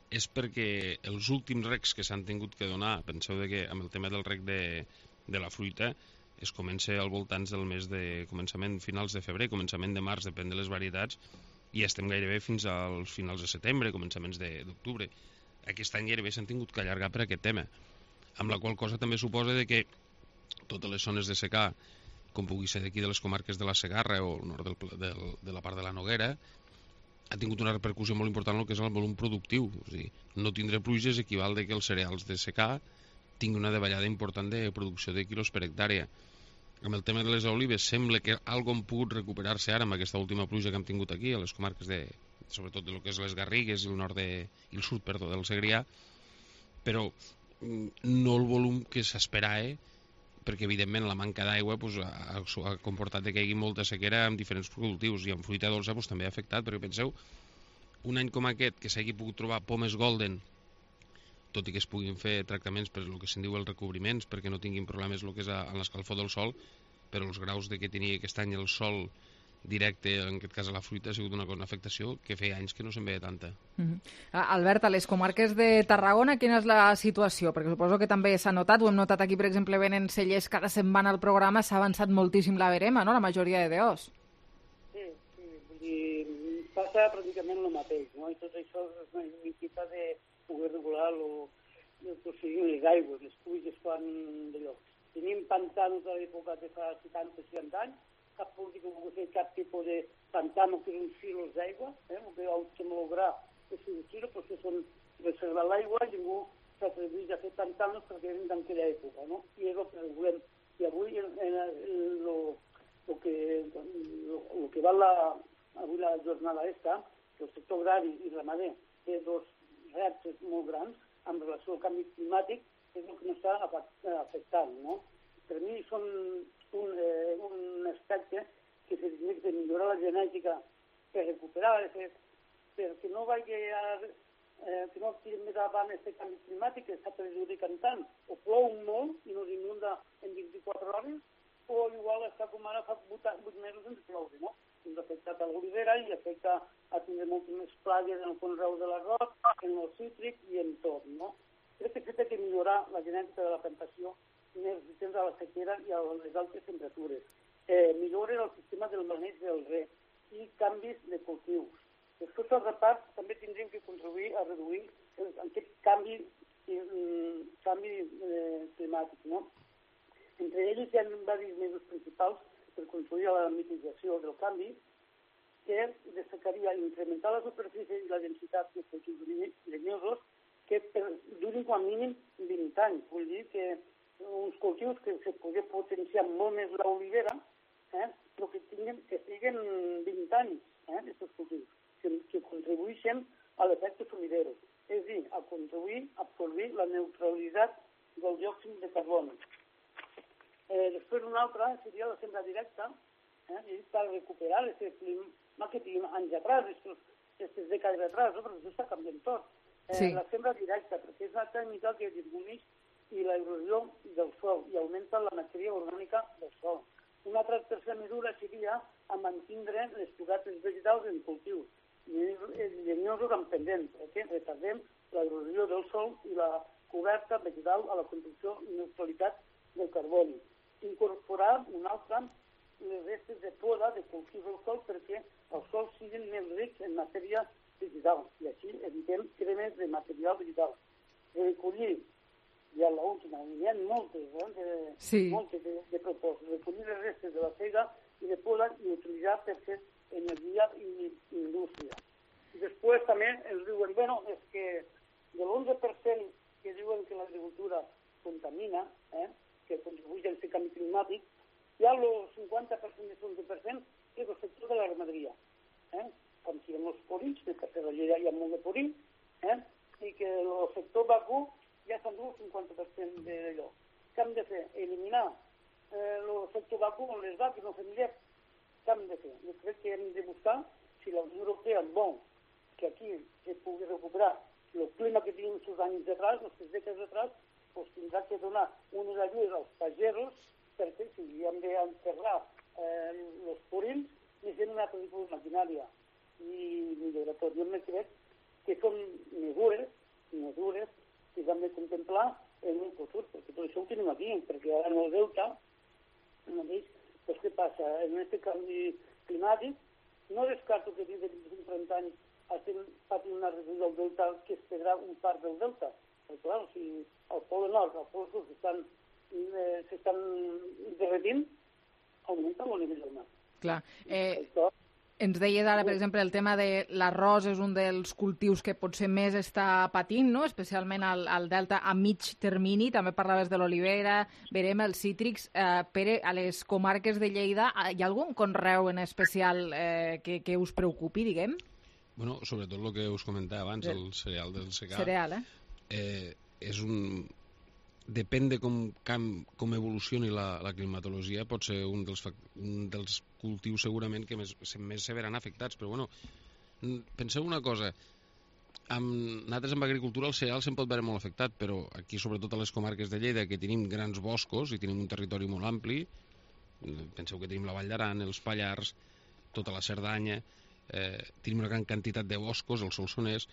és perquè els últims recs que s'han tingut que donar, penseu que amb el tema del rec de la fruita, es comença al voltants del mes de començament, finals de febrer, començament de març, depèn de les varietats, i estem gairebé fins als finals de setembre, començaments d'octubre. Aquest any gairebé s'han tingut que allargar per aquest tema, amb la qual cosa també suposa que totes les zones de secà, com pugui ser d'aquí de les comarques de la Segarra o el nord de la part de la Noguera, ha tingut una repercussió molt important en el que és el volum productiu. O sigui, no tindre pluges equival que els cereals de secà tinguin una davallada important de producció de quilos per hectàrea. Amb el tema de les olives sembla que algo han pogut recuperar-se ara amb aquesta última pluja que hem tingut aquí a les comarques sobretot de lo que és les Garrigues i el sud del Segrià, però no el volum que s'esperava, perquè evidentment la manca d'aigua ha comportat que hi hagi molta sequera amb diferents cultius, i amb fruita dolça també ha afectat, perquè penseu, un any com aquest que s'hagi pogut trobar pomes golden, tot i que es puguin fer tractaments per el que se'n diu els recobriments, perquè no tinguin problemes el que és en l'escalfor del sol, però els graus que tenia aquest any el sol directe, en aquest cas a la fruita, ha sigut una afectació que feia anys que no se'n veia tanta. Albert, a les comarques de Tarragona, quina és la situació? Perquè suposo que també s'ha notat, ho hem notat aquí, per exemple, venen cellers cada setmana al programa, s'ha avançat moltíssim la verema, no?, la majoria de DOs. Sí, vull dir, passa pràcticament el mateix, no?, i tot això és una necessitat de poder regular el procediment, les aigües, les pluges quan d'allò. Tenim pantanos a l'època de fa 70-60 anys, cap polític no pot fer cap tipus de pantano que uns filos d'aigua, el que vam lograr és solució, perquè són reservar l'aigua i ningú s'atreveix a fer pantanos perquè eren d'aquella època, no? I és el que volem. I avui el que va avui la jornada esta, que el sector agrari i ramader té dos reptes molt grans amb relació al canvi climàtic, és el que ens està afectant, no? per mi són un aspecte que se té de millorar la genètica per recuperar, perquè no vagi que no tirem més avant aquest canvi climàtic que està perjudicant tant. O plou molt i no s'inunda en 24 hores, o igual està com ara fa 8 mesos sense ploure, no? Ens ha afectat a l'olivera i afecta a tindre moltes més plagues en el conreu de l'arròs, en el cítric i en tot, no? Crec que s'ha de millorar la genètica de la plantació més resistents a la sequera i a les altes temperatures. Milloren el sistema del maneig del reg i canvis de cultius. Després, al repart, també tindríem que contribuir a reduir aquest canvi climàtic, no? Entre ells hi ha diversos mesos principals per contribuir a la mitigació del canvi, que destacaria incrementar la superfície i la densitat de cultius llenyosos que durin com a mínim 20 anys. Vull dir que uns cultius que se podria potenciar molt més l'olivera, però que siguin 20 anys, aquests cultius, que contribueixen a l'efecte sumidero, és a dir, a contribuir a absorbir la neutralitat del diòxid de carboni. Després una altra seria la sembra directa, per recuperar aquest clima que tenim anys atrás, aquestes dècades atrás, perquè això està canviant tot. La sembra directa, perquè és una tècnica que disminueix l'erosió del sòl i augmenta la matèria orgànica del sòl. Una altra tercera mesura seria a mantindre les cobertes vegetals en cultius llenyosos amb pendent, perquè retardem l'erosió del sòl i la coberta vegetal a la construcció i neutralitat del carboni. Incorporar una altra les restes de poda de cultius al sòl perquè els sòls siguin més rics en matèria vegetal i així evitem cremes de material vegetal. Recollir, ja l'última, hi ha moltes de propostes, recollir les restes de la sega i de poda i utilitzar per fer energia i indústria. I després també ens diuen, és que de l'11% que diuen que l'agricultura contamina, que contribueix a aquest canvi climàtic, hi ha el 50% de 11% que és el sector de la ramaderia. Com si en els porins, que a la Lleida hi ha molt de porí, i que el sector vacú ja s'endú el 50% d'allò. Què hem de fer? Eliminar el sector vacú amb les vaques no familiars. Què hem de fer? Jo crec que hem de buscar si la Unió Europea vol que aquí se pugui recuperar el clima que tenim els anys d'atrás, les dècades d'atrás, doncs tindrà que donar unes ajudes als pagesos perquè si hem d'enterrar els purins necessitem una altra tipus de maquinària i milloratori. Jo crec que són mesures que hem de contemplar en un futur, perquè tot això ho tenim aquí, perquè ara en el delta, doncs què passa? En aquest canvi climàtic, no descarto que dins de 30 anys estem patint una reducció del delta que es perdrà un part del delta. Però clar, si el pol nord, el pol sud s'estan derretint, augmenta el nivell del mar. Clar. Ens deies ara, per exemple, el tema de l'arròs és un dels cultius que potser més està patint, no? Especialment al delta a mig termini. També parlaves de l'olivera, verem els cítrics. Pere, a les comarques de Lleida, hi ha algun conreu en especial que us preocupi, diguem? Bueno, sobretot el que us comentava abans, el cereal del secà. Cereal, és un... Depèn de com evolucioni la climatologia, pot ser un dels cultius segurament que més se veran afectats, però bueno, penseu una cosa, nosaltres amb agricultura el cereal se'n pot veure molt afectat, però aquí sobretot a les comarques de Lleida, que tenim grans boscos i tenim un territori molt ampli, penseu que tenim la Vall d'Aran, els Pallars, tota la Cerdanya, tenim una gran quantitat de boscos, el Solsonès.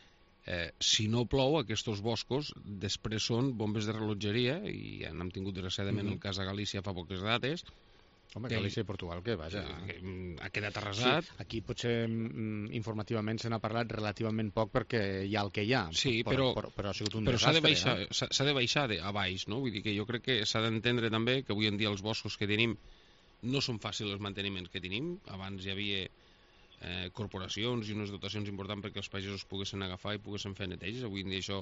Si no plou, aquests boscos després són bombes de rellotgeria i ja n'hem tingut desgraciadament el cas a Galícia fa poques dates. Home, Galícia i Portugal, que vaja... Ha quedat arrasat. Sí, aquí potser informativament se n'ha parlat relativament poc perquè hi ha el que hi ha. Sí, però ha sigut un desastre. S'ha de baixar a baix, no? Vull dir que jo crec que s'ha d'entendre també que avui en dia els boscos que tenim no són fàcils els manteniments que tenim. Abans hi havia corporacions i unes dotacions importants perquè els pagesos poguessin agafar i poguessin fer neteges. Avui en dia això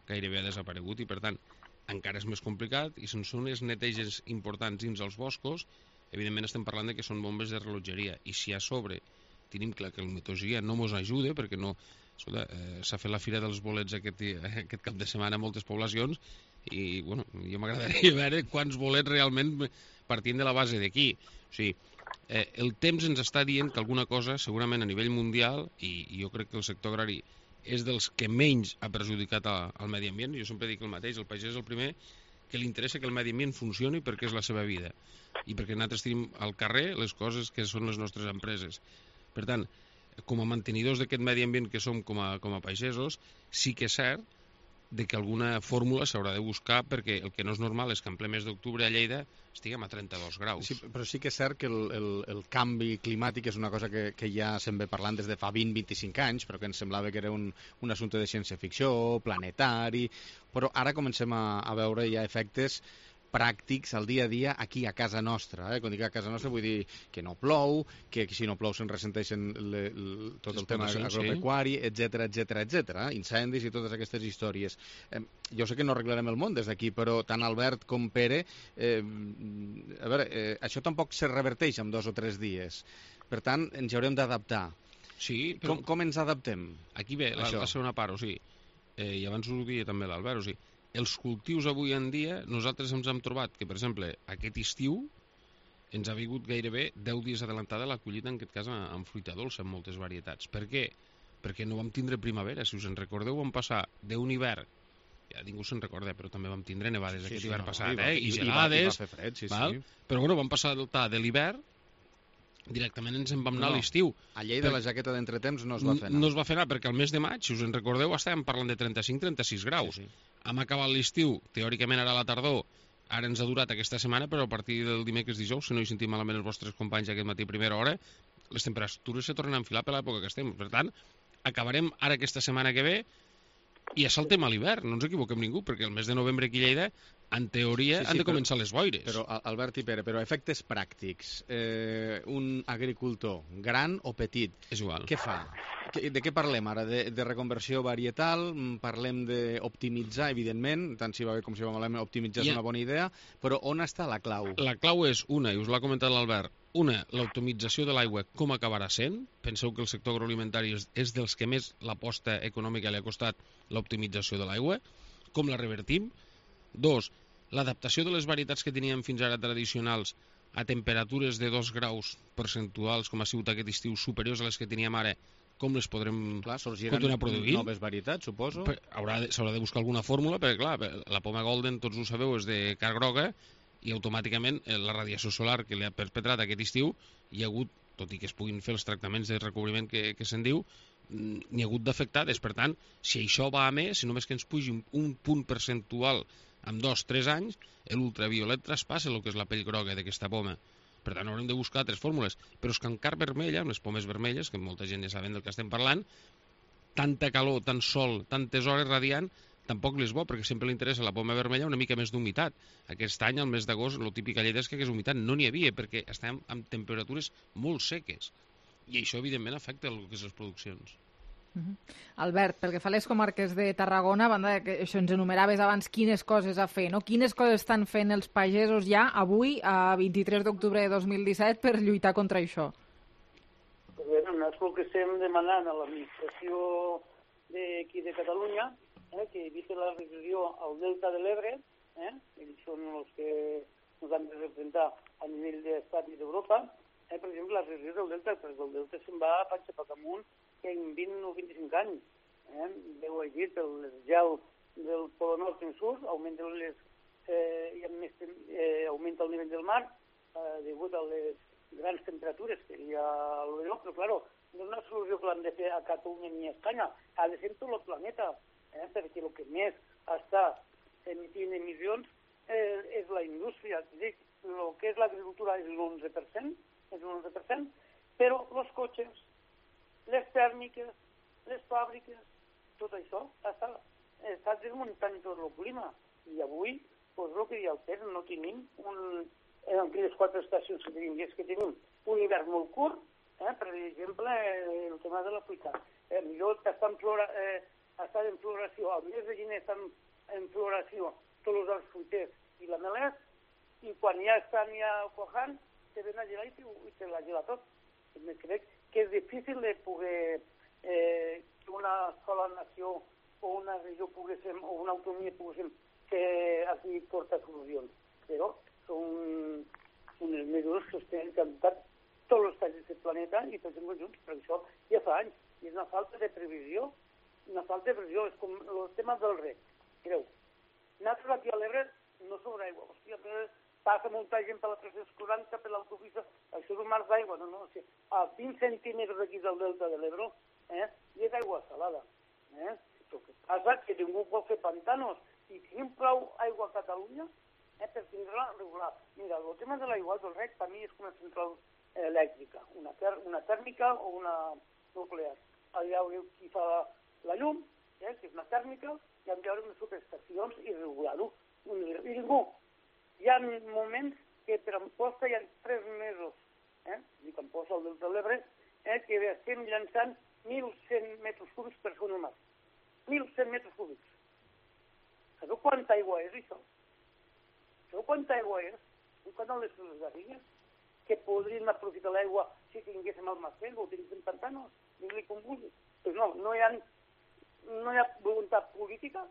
gairebé ha desaparegut i per tant encara és més complicat i sense unes neteges importants dins els boscos evidentment estem parlant de que són bombes de rellotgeria i si a sobre tenim clar que el meteorologia no ens ajuda, perquè no... S'ha fet la fira dels bolets aquest cap de setmana a moltes poblacions i, bueno, jo m'agradaria veure quants bolets realment partint de la base d'aquí. O sigui, el temps ens està dient que alguna cosa, segurament a nivell mundial, i jo crec que el sector agrari és dels que menys ha perjudicat al medi ambient. Jo sempre dic el mateix, el pagès és el primer que li interessa que el medi ambient funcioni perquè és la seva vida i perquè nosaltres tenim al carrer les coses que són les nostres empreses. Per tant, com a mantenidors d'aquest medi ambient que som com a pagesos, sí que és cert de que alguna fórmula s'haurà de buscar, perquè el que no és normal és que en ple mes d'octubre a Lleida estiguem a 32 graus. Sí, però sí que és cert que el canvi climàtic és una cosa que ja se'n ve parlant des de fa 20-25 anys, però que ens semblava que era un assumpte de ciència-ficció, planetari, però ara comencem a veure ja efectes pràctics al dia a dia aquí a casa nostra. Quan dic a casa nostra vull dir que no plou, que si no plou se'n ressenteixen tot el tema agropecuari, etc, incendis i totes aquestes històries. Jo sé que no arreglarem el món des d'aquí, però tant Albert com Pere, a veure, això tampoc se reverteix en 2 o 3 dies. Per tant, ens hi haurem d'adaptar. Sí, però... Com ens adaptem? Aquí ve la segona part, o sigui, i abans ho deia també l'Albert, o sigui, els cultius avui en dia, nosaltres ens hem trobat que, per exemple, aquest estiu ens ha vingut gairebé 10 dies adelantada la collita, en aquest cas amb fruita dolça, en moltes varietats. Per què? Perquè no vam tindre primavera. Si us en recordeu, vam passar d'un hivern, ja ningú se'n recorda, però també vam tindre nevades aquest hivern passat, i gelades, i va fer fred, sí. Però bueno, vam passar de l'hivern, directament ens en vam anar a l'estiu. A Lleida la jaqueta d'entretemps no es va fer anar. No es va fer anar, perquè al mes de maig, si us en recordeu, estàvem parlant de 35-36 graus. Hem acabat l'estiu, teòricament ara a la tardor, ara ens ha durat aquesta setmana, però a partir del dimecres dijous, si no hi sentim malament els vostres companys aquest matí a primera hora, les temperatures se tornen a enfilar per l'època que estem. Per tant, acabarem ara aquesta setmana que ve i ja saltem a l'hivern, no ens equivoquem ningú, perquè el mes de novembre aquí a Lleida, en teoria, han de començar les boires. Però, Albert i Pere, però efectes pràctics, un agricultor gran o petit, és igual. Què fa? De què parlem ara? De reconversió varietal? Parlem d'optimitzar, evidentment, tant si va bé com si va malament, optimitzar és una bona idea, però on està la clau? La clau és una, i us l'ha comentat l'Albert, l'optimització de l'aigua com acabarà sent. Penseu que el sector agroalimentari és dels que més l'aposta econòmica li ha costat l'optimització de l'aigua. Com la revertim? 2, l'adaptació de les varietats que teníem fins ara tradicionals a temperatures de 2 graus percentuals, com ha sigut aquest estiu, superiors a les que teníem ara, com les podrem continuar produint? Noves varietats, suposo? S'haurà de buscar alguna fórmula, perquè clar, la poma golden, tots ho sabeu, és de carn groga, i automàticament la radiació solar que li ha perpetrat aquest estiu, hi ha hagut, tot i que es puguin fer els tractaments de recobriment que se'n diu, n'hi ha hagut d'afectades. Per tant, si això va a més, si només que ens pugi un punt percentual en 2-3 anys, l'ultraviolet traspassa el que és la pell groga d'aquesta poma. Per tant, haurem de buscar altres fórmules. Però és que en carn vermella, amb les pomes vermelles, que molta gent ja saben del que estem parlant, tanta calor, tant sol, tantes hores radiant, tampoc li és bo, perquè sempre li interessa a la poma vermella una mica més d'humitat. Aquest any, al mes d'agost, el típic a Lleida és que hagués humitat. No n'hi havia, perquè estem amb temperatures molt seques. I això, evidentment, afecta el que és les produccions. Albert, pel que fa a les comarques de Tarragona, a banda que això ens enumeraves abans quines coses a fer, no? Quines coses estan fent els pagesos ja avui, a 23 d'octubre de 2017, per lluitar contra això? És el que estem demanant a l'administració d'aquí de Catalunya, que eviti la regressió al delta de l'Ebre, ells són els que ens han de representar a nivell d'Estat i d'Europa. Per exemple, la regressió del delta, perquè el delta se'n va a panxa per amunt en 20 o 25 anys. Veu llegit, el gel del Polo Nord en surt, augmenta el nivell del mar degut a les grans temperatures que hi ha a l'Europa, però claro, no és una solució que l'han de fer a Catalunya ni a Espanya, ha de ser tot el planeta, perquè el que més està emitint emissions és la indústria. El que és l'agricultura és l'11%, però els cotxes, les tèrmiques, les fàbriques, tot això està desmuntant tot el clima. I avui, doncs el que diu el Pere, no tenim en aquelles 4 estacions que tenim, és que tenim un hivern molt curt, per exemple, el tema de la fruita. Millor està en floració, el mes de gener estan en floració tots els arbres fruiters i la melés, i quan ja estan ja cuajant, te ven a gelar i te la gela tot. Crec que és difícil de poder que una sola nació o una regió poguéssim, o una autonomia poguéssim que aquí porta solucions. Però són unes mesures que es tenen que adoptar tots els països del planeta i tots en conjunts, però això ja fa anys. I és una falta de previsió, és com el tema del rec. Mireu, nosaltres aquí a l'Ebre no sobre aigua, hòstia, passa molta gent per la 340, per l'autopista, això és un mar d'aigua, no, o sigui, a 20 centímetres d'aquí del delta de l'Ebre, i és aigua salada. El que passa és que ningú pot fer pantanos, i tenim prou aigua a Catalunya per tindre-la regular. Mira, el tema de l'aigua del rec per mi és com una central elèctrica, una tèrmica o una nuclear. Allà veureu qui fa la llum, que és una tèrmica, i hem de veure unes subestacions i regular-ho. I ningú. Hi ha moments que per Amposta hi ha 3 mesos, dic Amposta al delta de l'Ebre, que estem llançant 1.100 metres cúbics per segon mar. 1.100 metres cúbics. Sabeu quanta aigua és, això? Sabeu quanta aigua és? Quan les garrigues, que podríem aprofitar l'aigua si tinguéssim almacén o tinguéssim pantanos, digue-li com vulgui. Pues no hi ha voluntat política,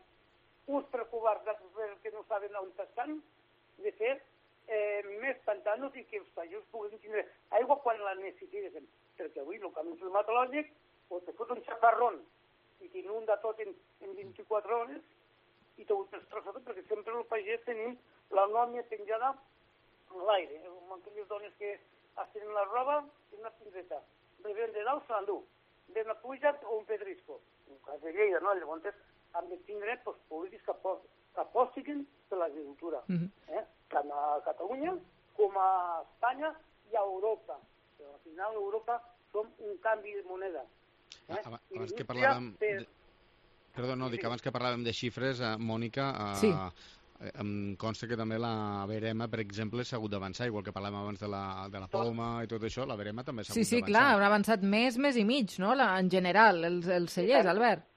uns preocupats perquè no saben on estan, de fer més pantanos i que els països puguin tindre aigua quan la necessiten. Perquè avui el canvi climatològic te fot un xafarrón i t'inunda tot en 24 hores i t'ho destrossa tot, perquè sempre el pagès tenim la nòmia penjada a l'aire. Aquelles dones que estenen la roba i una pinzeta. Ven de dalt se l'endú. Ve una pluja o un pedrisco. En cas de Lleida, no? Llavors hem de tindre polítics que apostiquen per l'agricultura. Tant a Catalunya com a Espanya i a Europa. Però al final a Europa som un canvi de moneda. Abans que parlàvem... Perdó, no, dic abans que parlàvem de xifres, Mònica, em consta que també la Verema, per exemple, s'ha hagut d'avançar, igual que parlàvem abans de la Poma i tot això, la Verema també s'ha hagut d'avançar. Sí, clar, han avançat mes i mig, no?, en general, els cellers, Albert.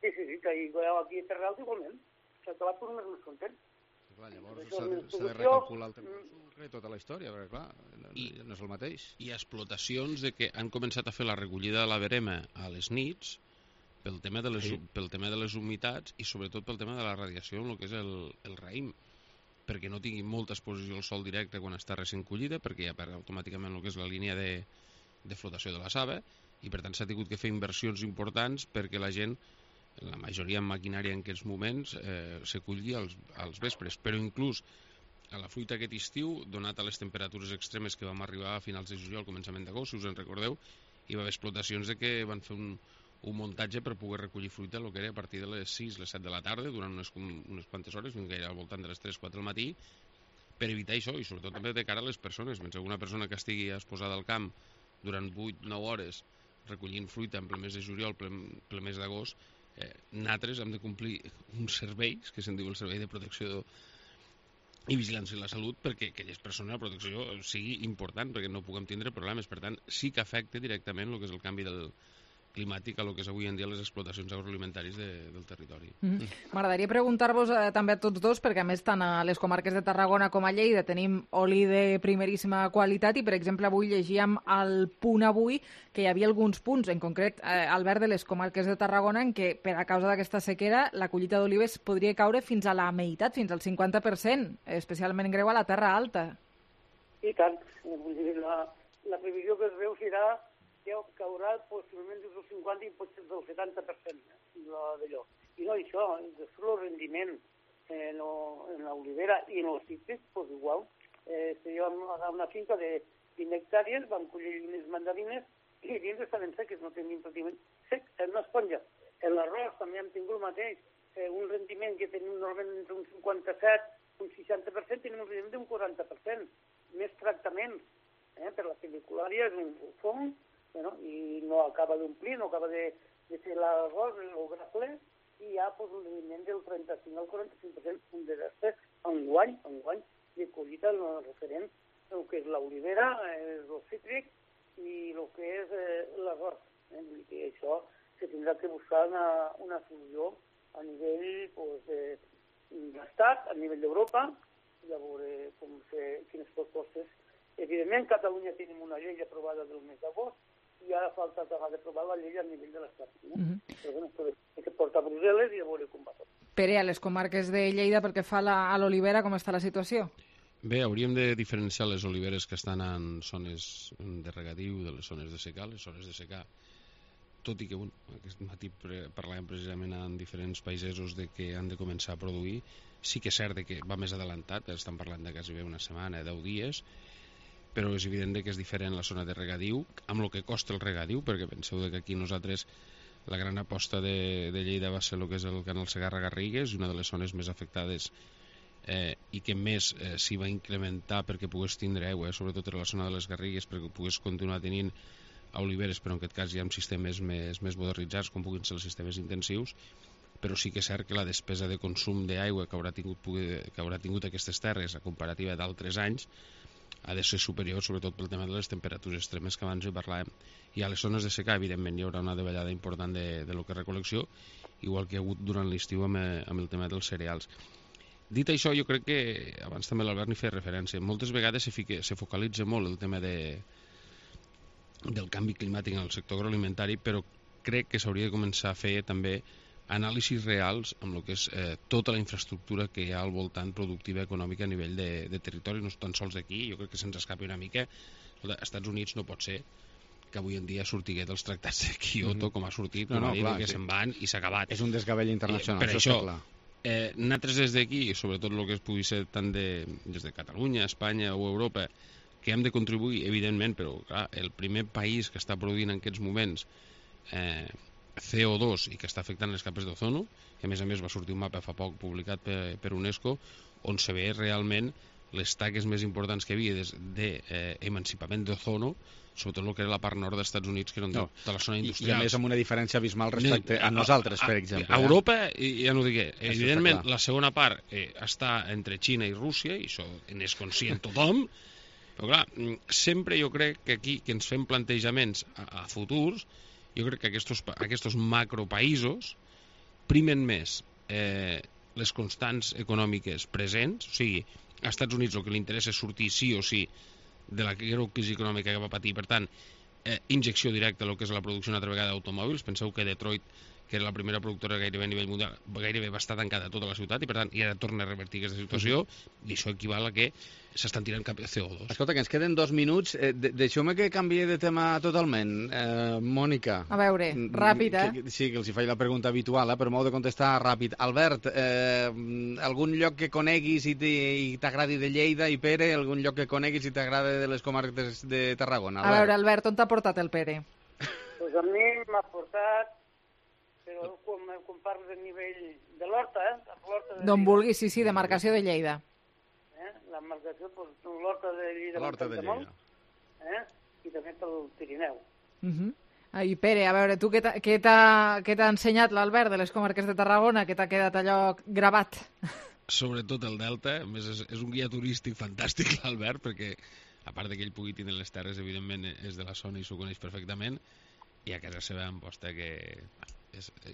Sí, que aquí a Terra Alta igualment. S'ha acabat per més content. Clar, llavors s'ha de recalcular el temps de tota la història, perquè clar, no és el mateix. Hi ha explotacions de que han començat a fer la recollida de la verema a les nits pel tema de les humitats i sobretot pel tema de la radiació en el que és el raïm, perquè no tingui molta exposició al sol directe quan està recent collida, perquè ja perd automàticament el que és la línia de flotació de la saba, i per tant s'ha tingut que fer inversions importants perquè la gent, la majoria en maquinària en aquests moments, se culli als vespres, però inclús a la fruita aquest estiu, donat a les temperatures extremes que vam arribar a finals de juliol, començament d'agost, si us en recordeu, hi va haver explotacions que van fer un muntatge per poder recollir fruita el que era a partir de les 6, les 7 de la tarda, durant unes quantes hores, fins gaire al voltant de les 3-4 del matí, per evitar això, i sobretot també de cara a les persones. Mentre una persona que estigui exposada al camp durant 8-9 hores recollint fruita en ple mes de juliol, ple mes d'agost, nosaltres hem de complir uns serveis, que se'n diu el Servei de Protecció i Vigilància de la Salut, perquè aquelles persones la protecció sigui important, perquè no puguem tindre problemes. Per tant, sí que afecta directament el que és el canvi climàtic a el que és avui en dia les explotacions agroalimentàries del territori. M'agradaria preguntar-vos també a tots dos, perquè a més tant a les comarques de Tarragona com a Lleida tenim oli de primeríssima qualitat i, per exemple, avui llegíem al Punt Avui que hi havia alguns punts, en concret, Albert, de les comarques de Tarragona, en què per a causa d'aquesta sequera la collita d'olives podria caure fins a la meitat, fins al 50%, especialment greu a la Terra Alta. I tant. La previsió que es veu serà que caurà possiblement des del 50 i potser del 70% d'allò. I no això, és el rendiment en l'olivera i en els cítrics, doncs igual. Jo a una finca de 20 hectàrees vam collir unes mandarines i dins estaven seques, no tenim pràcticament sec, en una esponja. En l'arròs també hem tingut el mateix, un rendiment que tenim normalment entre un 57 un 60%, tenim un rendiment d'un 40%. Més tractaments, per la peliculària és un fong, i no acaba d'omplir, no acaba de fer l'arròs, el grafler, i hi ha un rendiment del 35 al 45%, un desastre enguany de collita referent al que és l'olivera, el cítric i el que és l'arròs. I això se tindrà que buscar una solució a nivell d'estat, a nivell d'Europa, i a veure quines propostes. Evidentment, a Catalunya tenim una llei aprovada del mes d'agost, i ara falta acabar de provar la llei a nivell de l'Estat. Però bueno, hay que portar a Brussel·les i a veure com va tot. Pere, a les comarques de Lleida, pel que fa a l'olivera, com està la situació? Bé, hauríem de diferenciar les oliveres que estan en zones de regadiu de les zones de secà. Les zones de secà, tot i que aquest matí parlàvem precisament en diferents països de que han de començar a produir, sí que és cert que va més adelantat, estan parlant de quasi una setmana, 10 dies, però és evident que és diferent la zona de regadiu, amb el que costa el regadiu, perquè penseu que aquí nosaltres la gran aposta de Lleida va ser el que és el canal Segarra-Garrigues, una de les zones més afectades i que més s'hi va incrementar perquè pogués tindre aigua, sobretot en la zona de les Garrigues, perquè pogués continuar tenint oliveres, però en aquest cas ja amb sistemes més modernitzats, com puguin ser els sistemes intensius, però sí que és cert que la despesa de consum d'aigua que haurà tingut aquestes terres a comparativa d'altres anys ha de ser superior, sobretot pel tema de les temperatures extremes que abans hi parlàvem. I a les zones de secà, evidentment, hi haurà una davallada important de lo que és recol·lecció, igual que hi ha hagut durant l'estiu amb el tema dels cereals. Dit això, jo crec que, abans també l'Albert n'hi feia referència, moltes vegades se focalitza molt el tema del canvi climàtic en el sector agroalimentari, però crec que s'hauria de començar a fer també anàlisis reals amb el que és tota la infraestructura que hi ha al voltant productiva econòmica a nivell de territori, no tan sols d'aquí. Jo crec que se'ns escapi una mica. Als Estats Units no pot ser que avui en dia sortigués dels tractats de Kyoto com ha sortit, que se'n van i s'ha acabat. És un desgavell internacional, per això nosaltres des d'aquí, sobretot el que es pugui ser tant des de Catalunya, Espanya o Europa, que hem de contribuir, evidentment, però clar, el primer país que està produint en aquests moments CO2 i que està afectant les capes d'ozono, que a més va sortir un mapa fa poc publicat per UNESCO, on se ve realment les taques més importants que havia d'emancipament d'ozono, sobretot el que era la part nord dels Estats Units, que era de la zona industrial. I a més amb una diferència abismal respecte a nosaltres, per exemple. A Europa, ja no ho digué, evidentment la segona part està entre Xina i Rússia, i això n'és conscient tothom, però clar, sempre jo crec que aquí que ens fem plantejaments a futurs, jo crec que aquests macropaïsos primen més les constants econòmiques presents, o sigui, als Estats Units el que li interessa és sortir sí o sí de la greu crisi econòmica que va patir, per tant, injecció directa a lo que és la producció una altra vegada d'automòbils. Penseu que Detroit, que era la primera productora gairebé a nivell mundial, gairebé va estar tancada tota la ciutat i per tant ja torna a revertir aquesta situació i això equival a que s'estan tirant cap a CO2. Escolta, que ens queden 2 minuts. Deixeu-me que canviï de tema totalment. Mònica. A veure, ràpid, Sí, que els hi faig la pregunta habitual, però m'heu de contestar ràpid. Albert, algun lloc que coneguis i t'agradi de Lleida, i Pere, algun lloc que coneguis i t'agrada de les comarques de Tarragona? A veure, Albert, on t'ha portat el Pere? Pues a mi m'ha portat, però quan parles a nivell de l'Horta, d'on vulguis, sí, demarcació de Lleida. La marcació, l'Horta de Lleida, i també pel Pirineu. I Pere, a veure, tu què t'ha ensenyat l'Albert de les comarques de Tarragona, que t'ha quedat allò gravat? Sobretot el Delta, a més és un guia turístic fantàstic l'Albert, perquè a part que ell pugui tenir les terres, evidentment és de la zona i s'ho coneix perfectament, i a casa seva em posta que...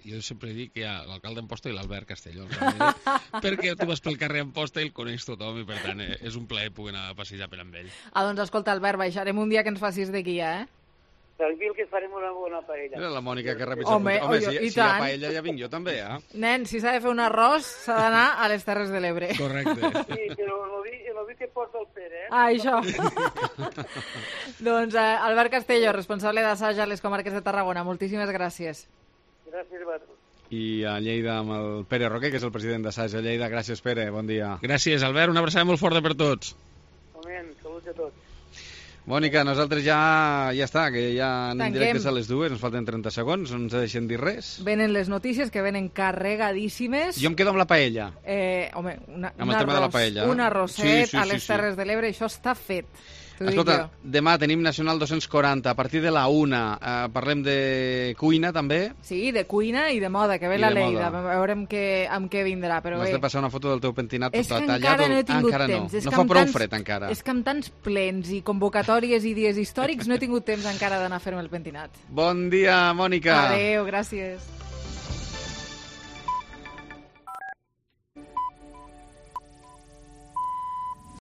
Jo sempre dic que hi ha l'alcalde d'Amposta i l'Albert Castelló, perquè tu vas pel carrer Amposta i el coneix tothom i per tant és un plaer poder anar a passejar per amb ell. Doncs escolta, Albert, baixarem un dia que ens facis de guia, Tranquil, que farem una bona paella. Era la Mònica que repeteix. Home, si hi ha paella ja vinc jo també, Nen, si s'ha de fer un arròs s'ha d'anar a les Terres de l'Ebre. Correcte. Sí, però el vi que porta el Pere, això. Doncs Albert Castelló, responsable d'assaig a les comarques de Tarragona, moltíssimes gràcies. Gràcies a vosaltres. I a Lleida amb el Pere Roquer, que és el president d'Assaig a Lleida. Gràcies, Pere, bon dia. Gràcies, Albert, una abraçada molt forta per tots. Moment, salut a tots. Mònica, nosaltres ja està, que ja anem directes a les 2, ens falten 30 segons, no ens deixen dir res. Venen les notícies, que venen carregadíssimes. Jo em quedo amb la paella. Home, un arrosset a les Terres de l'Ebre, això està fet. Escolta, demà tenim Nacional 240, a partir de la 1, parlem de cuina també. Sí, de cuina i de moda, que ve la Lleida, veurem amb què vindrà. M'has de passar una foto del teu pentinat tot tallat. És que encara no he tingut temps. No fa prou fred encara. És que amb tants plens i convocatòries i dies històrics no he tingut temps encara d'anar a fer-me el pentinat. Bon dia, Mònica. Adéu, gràcies.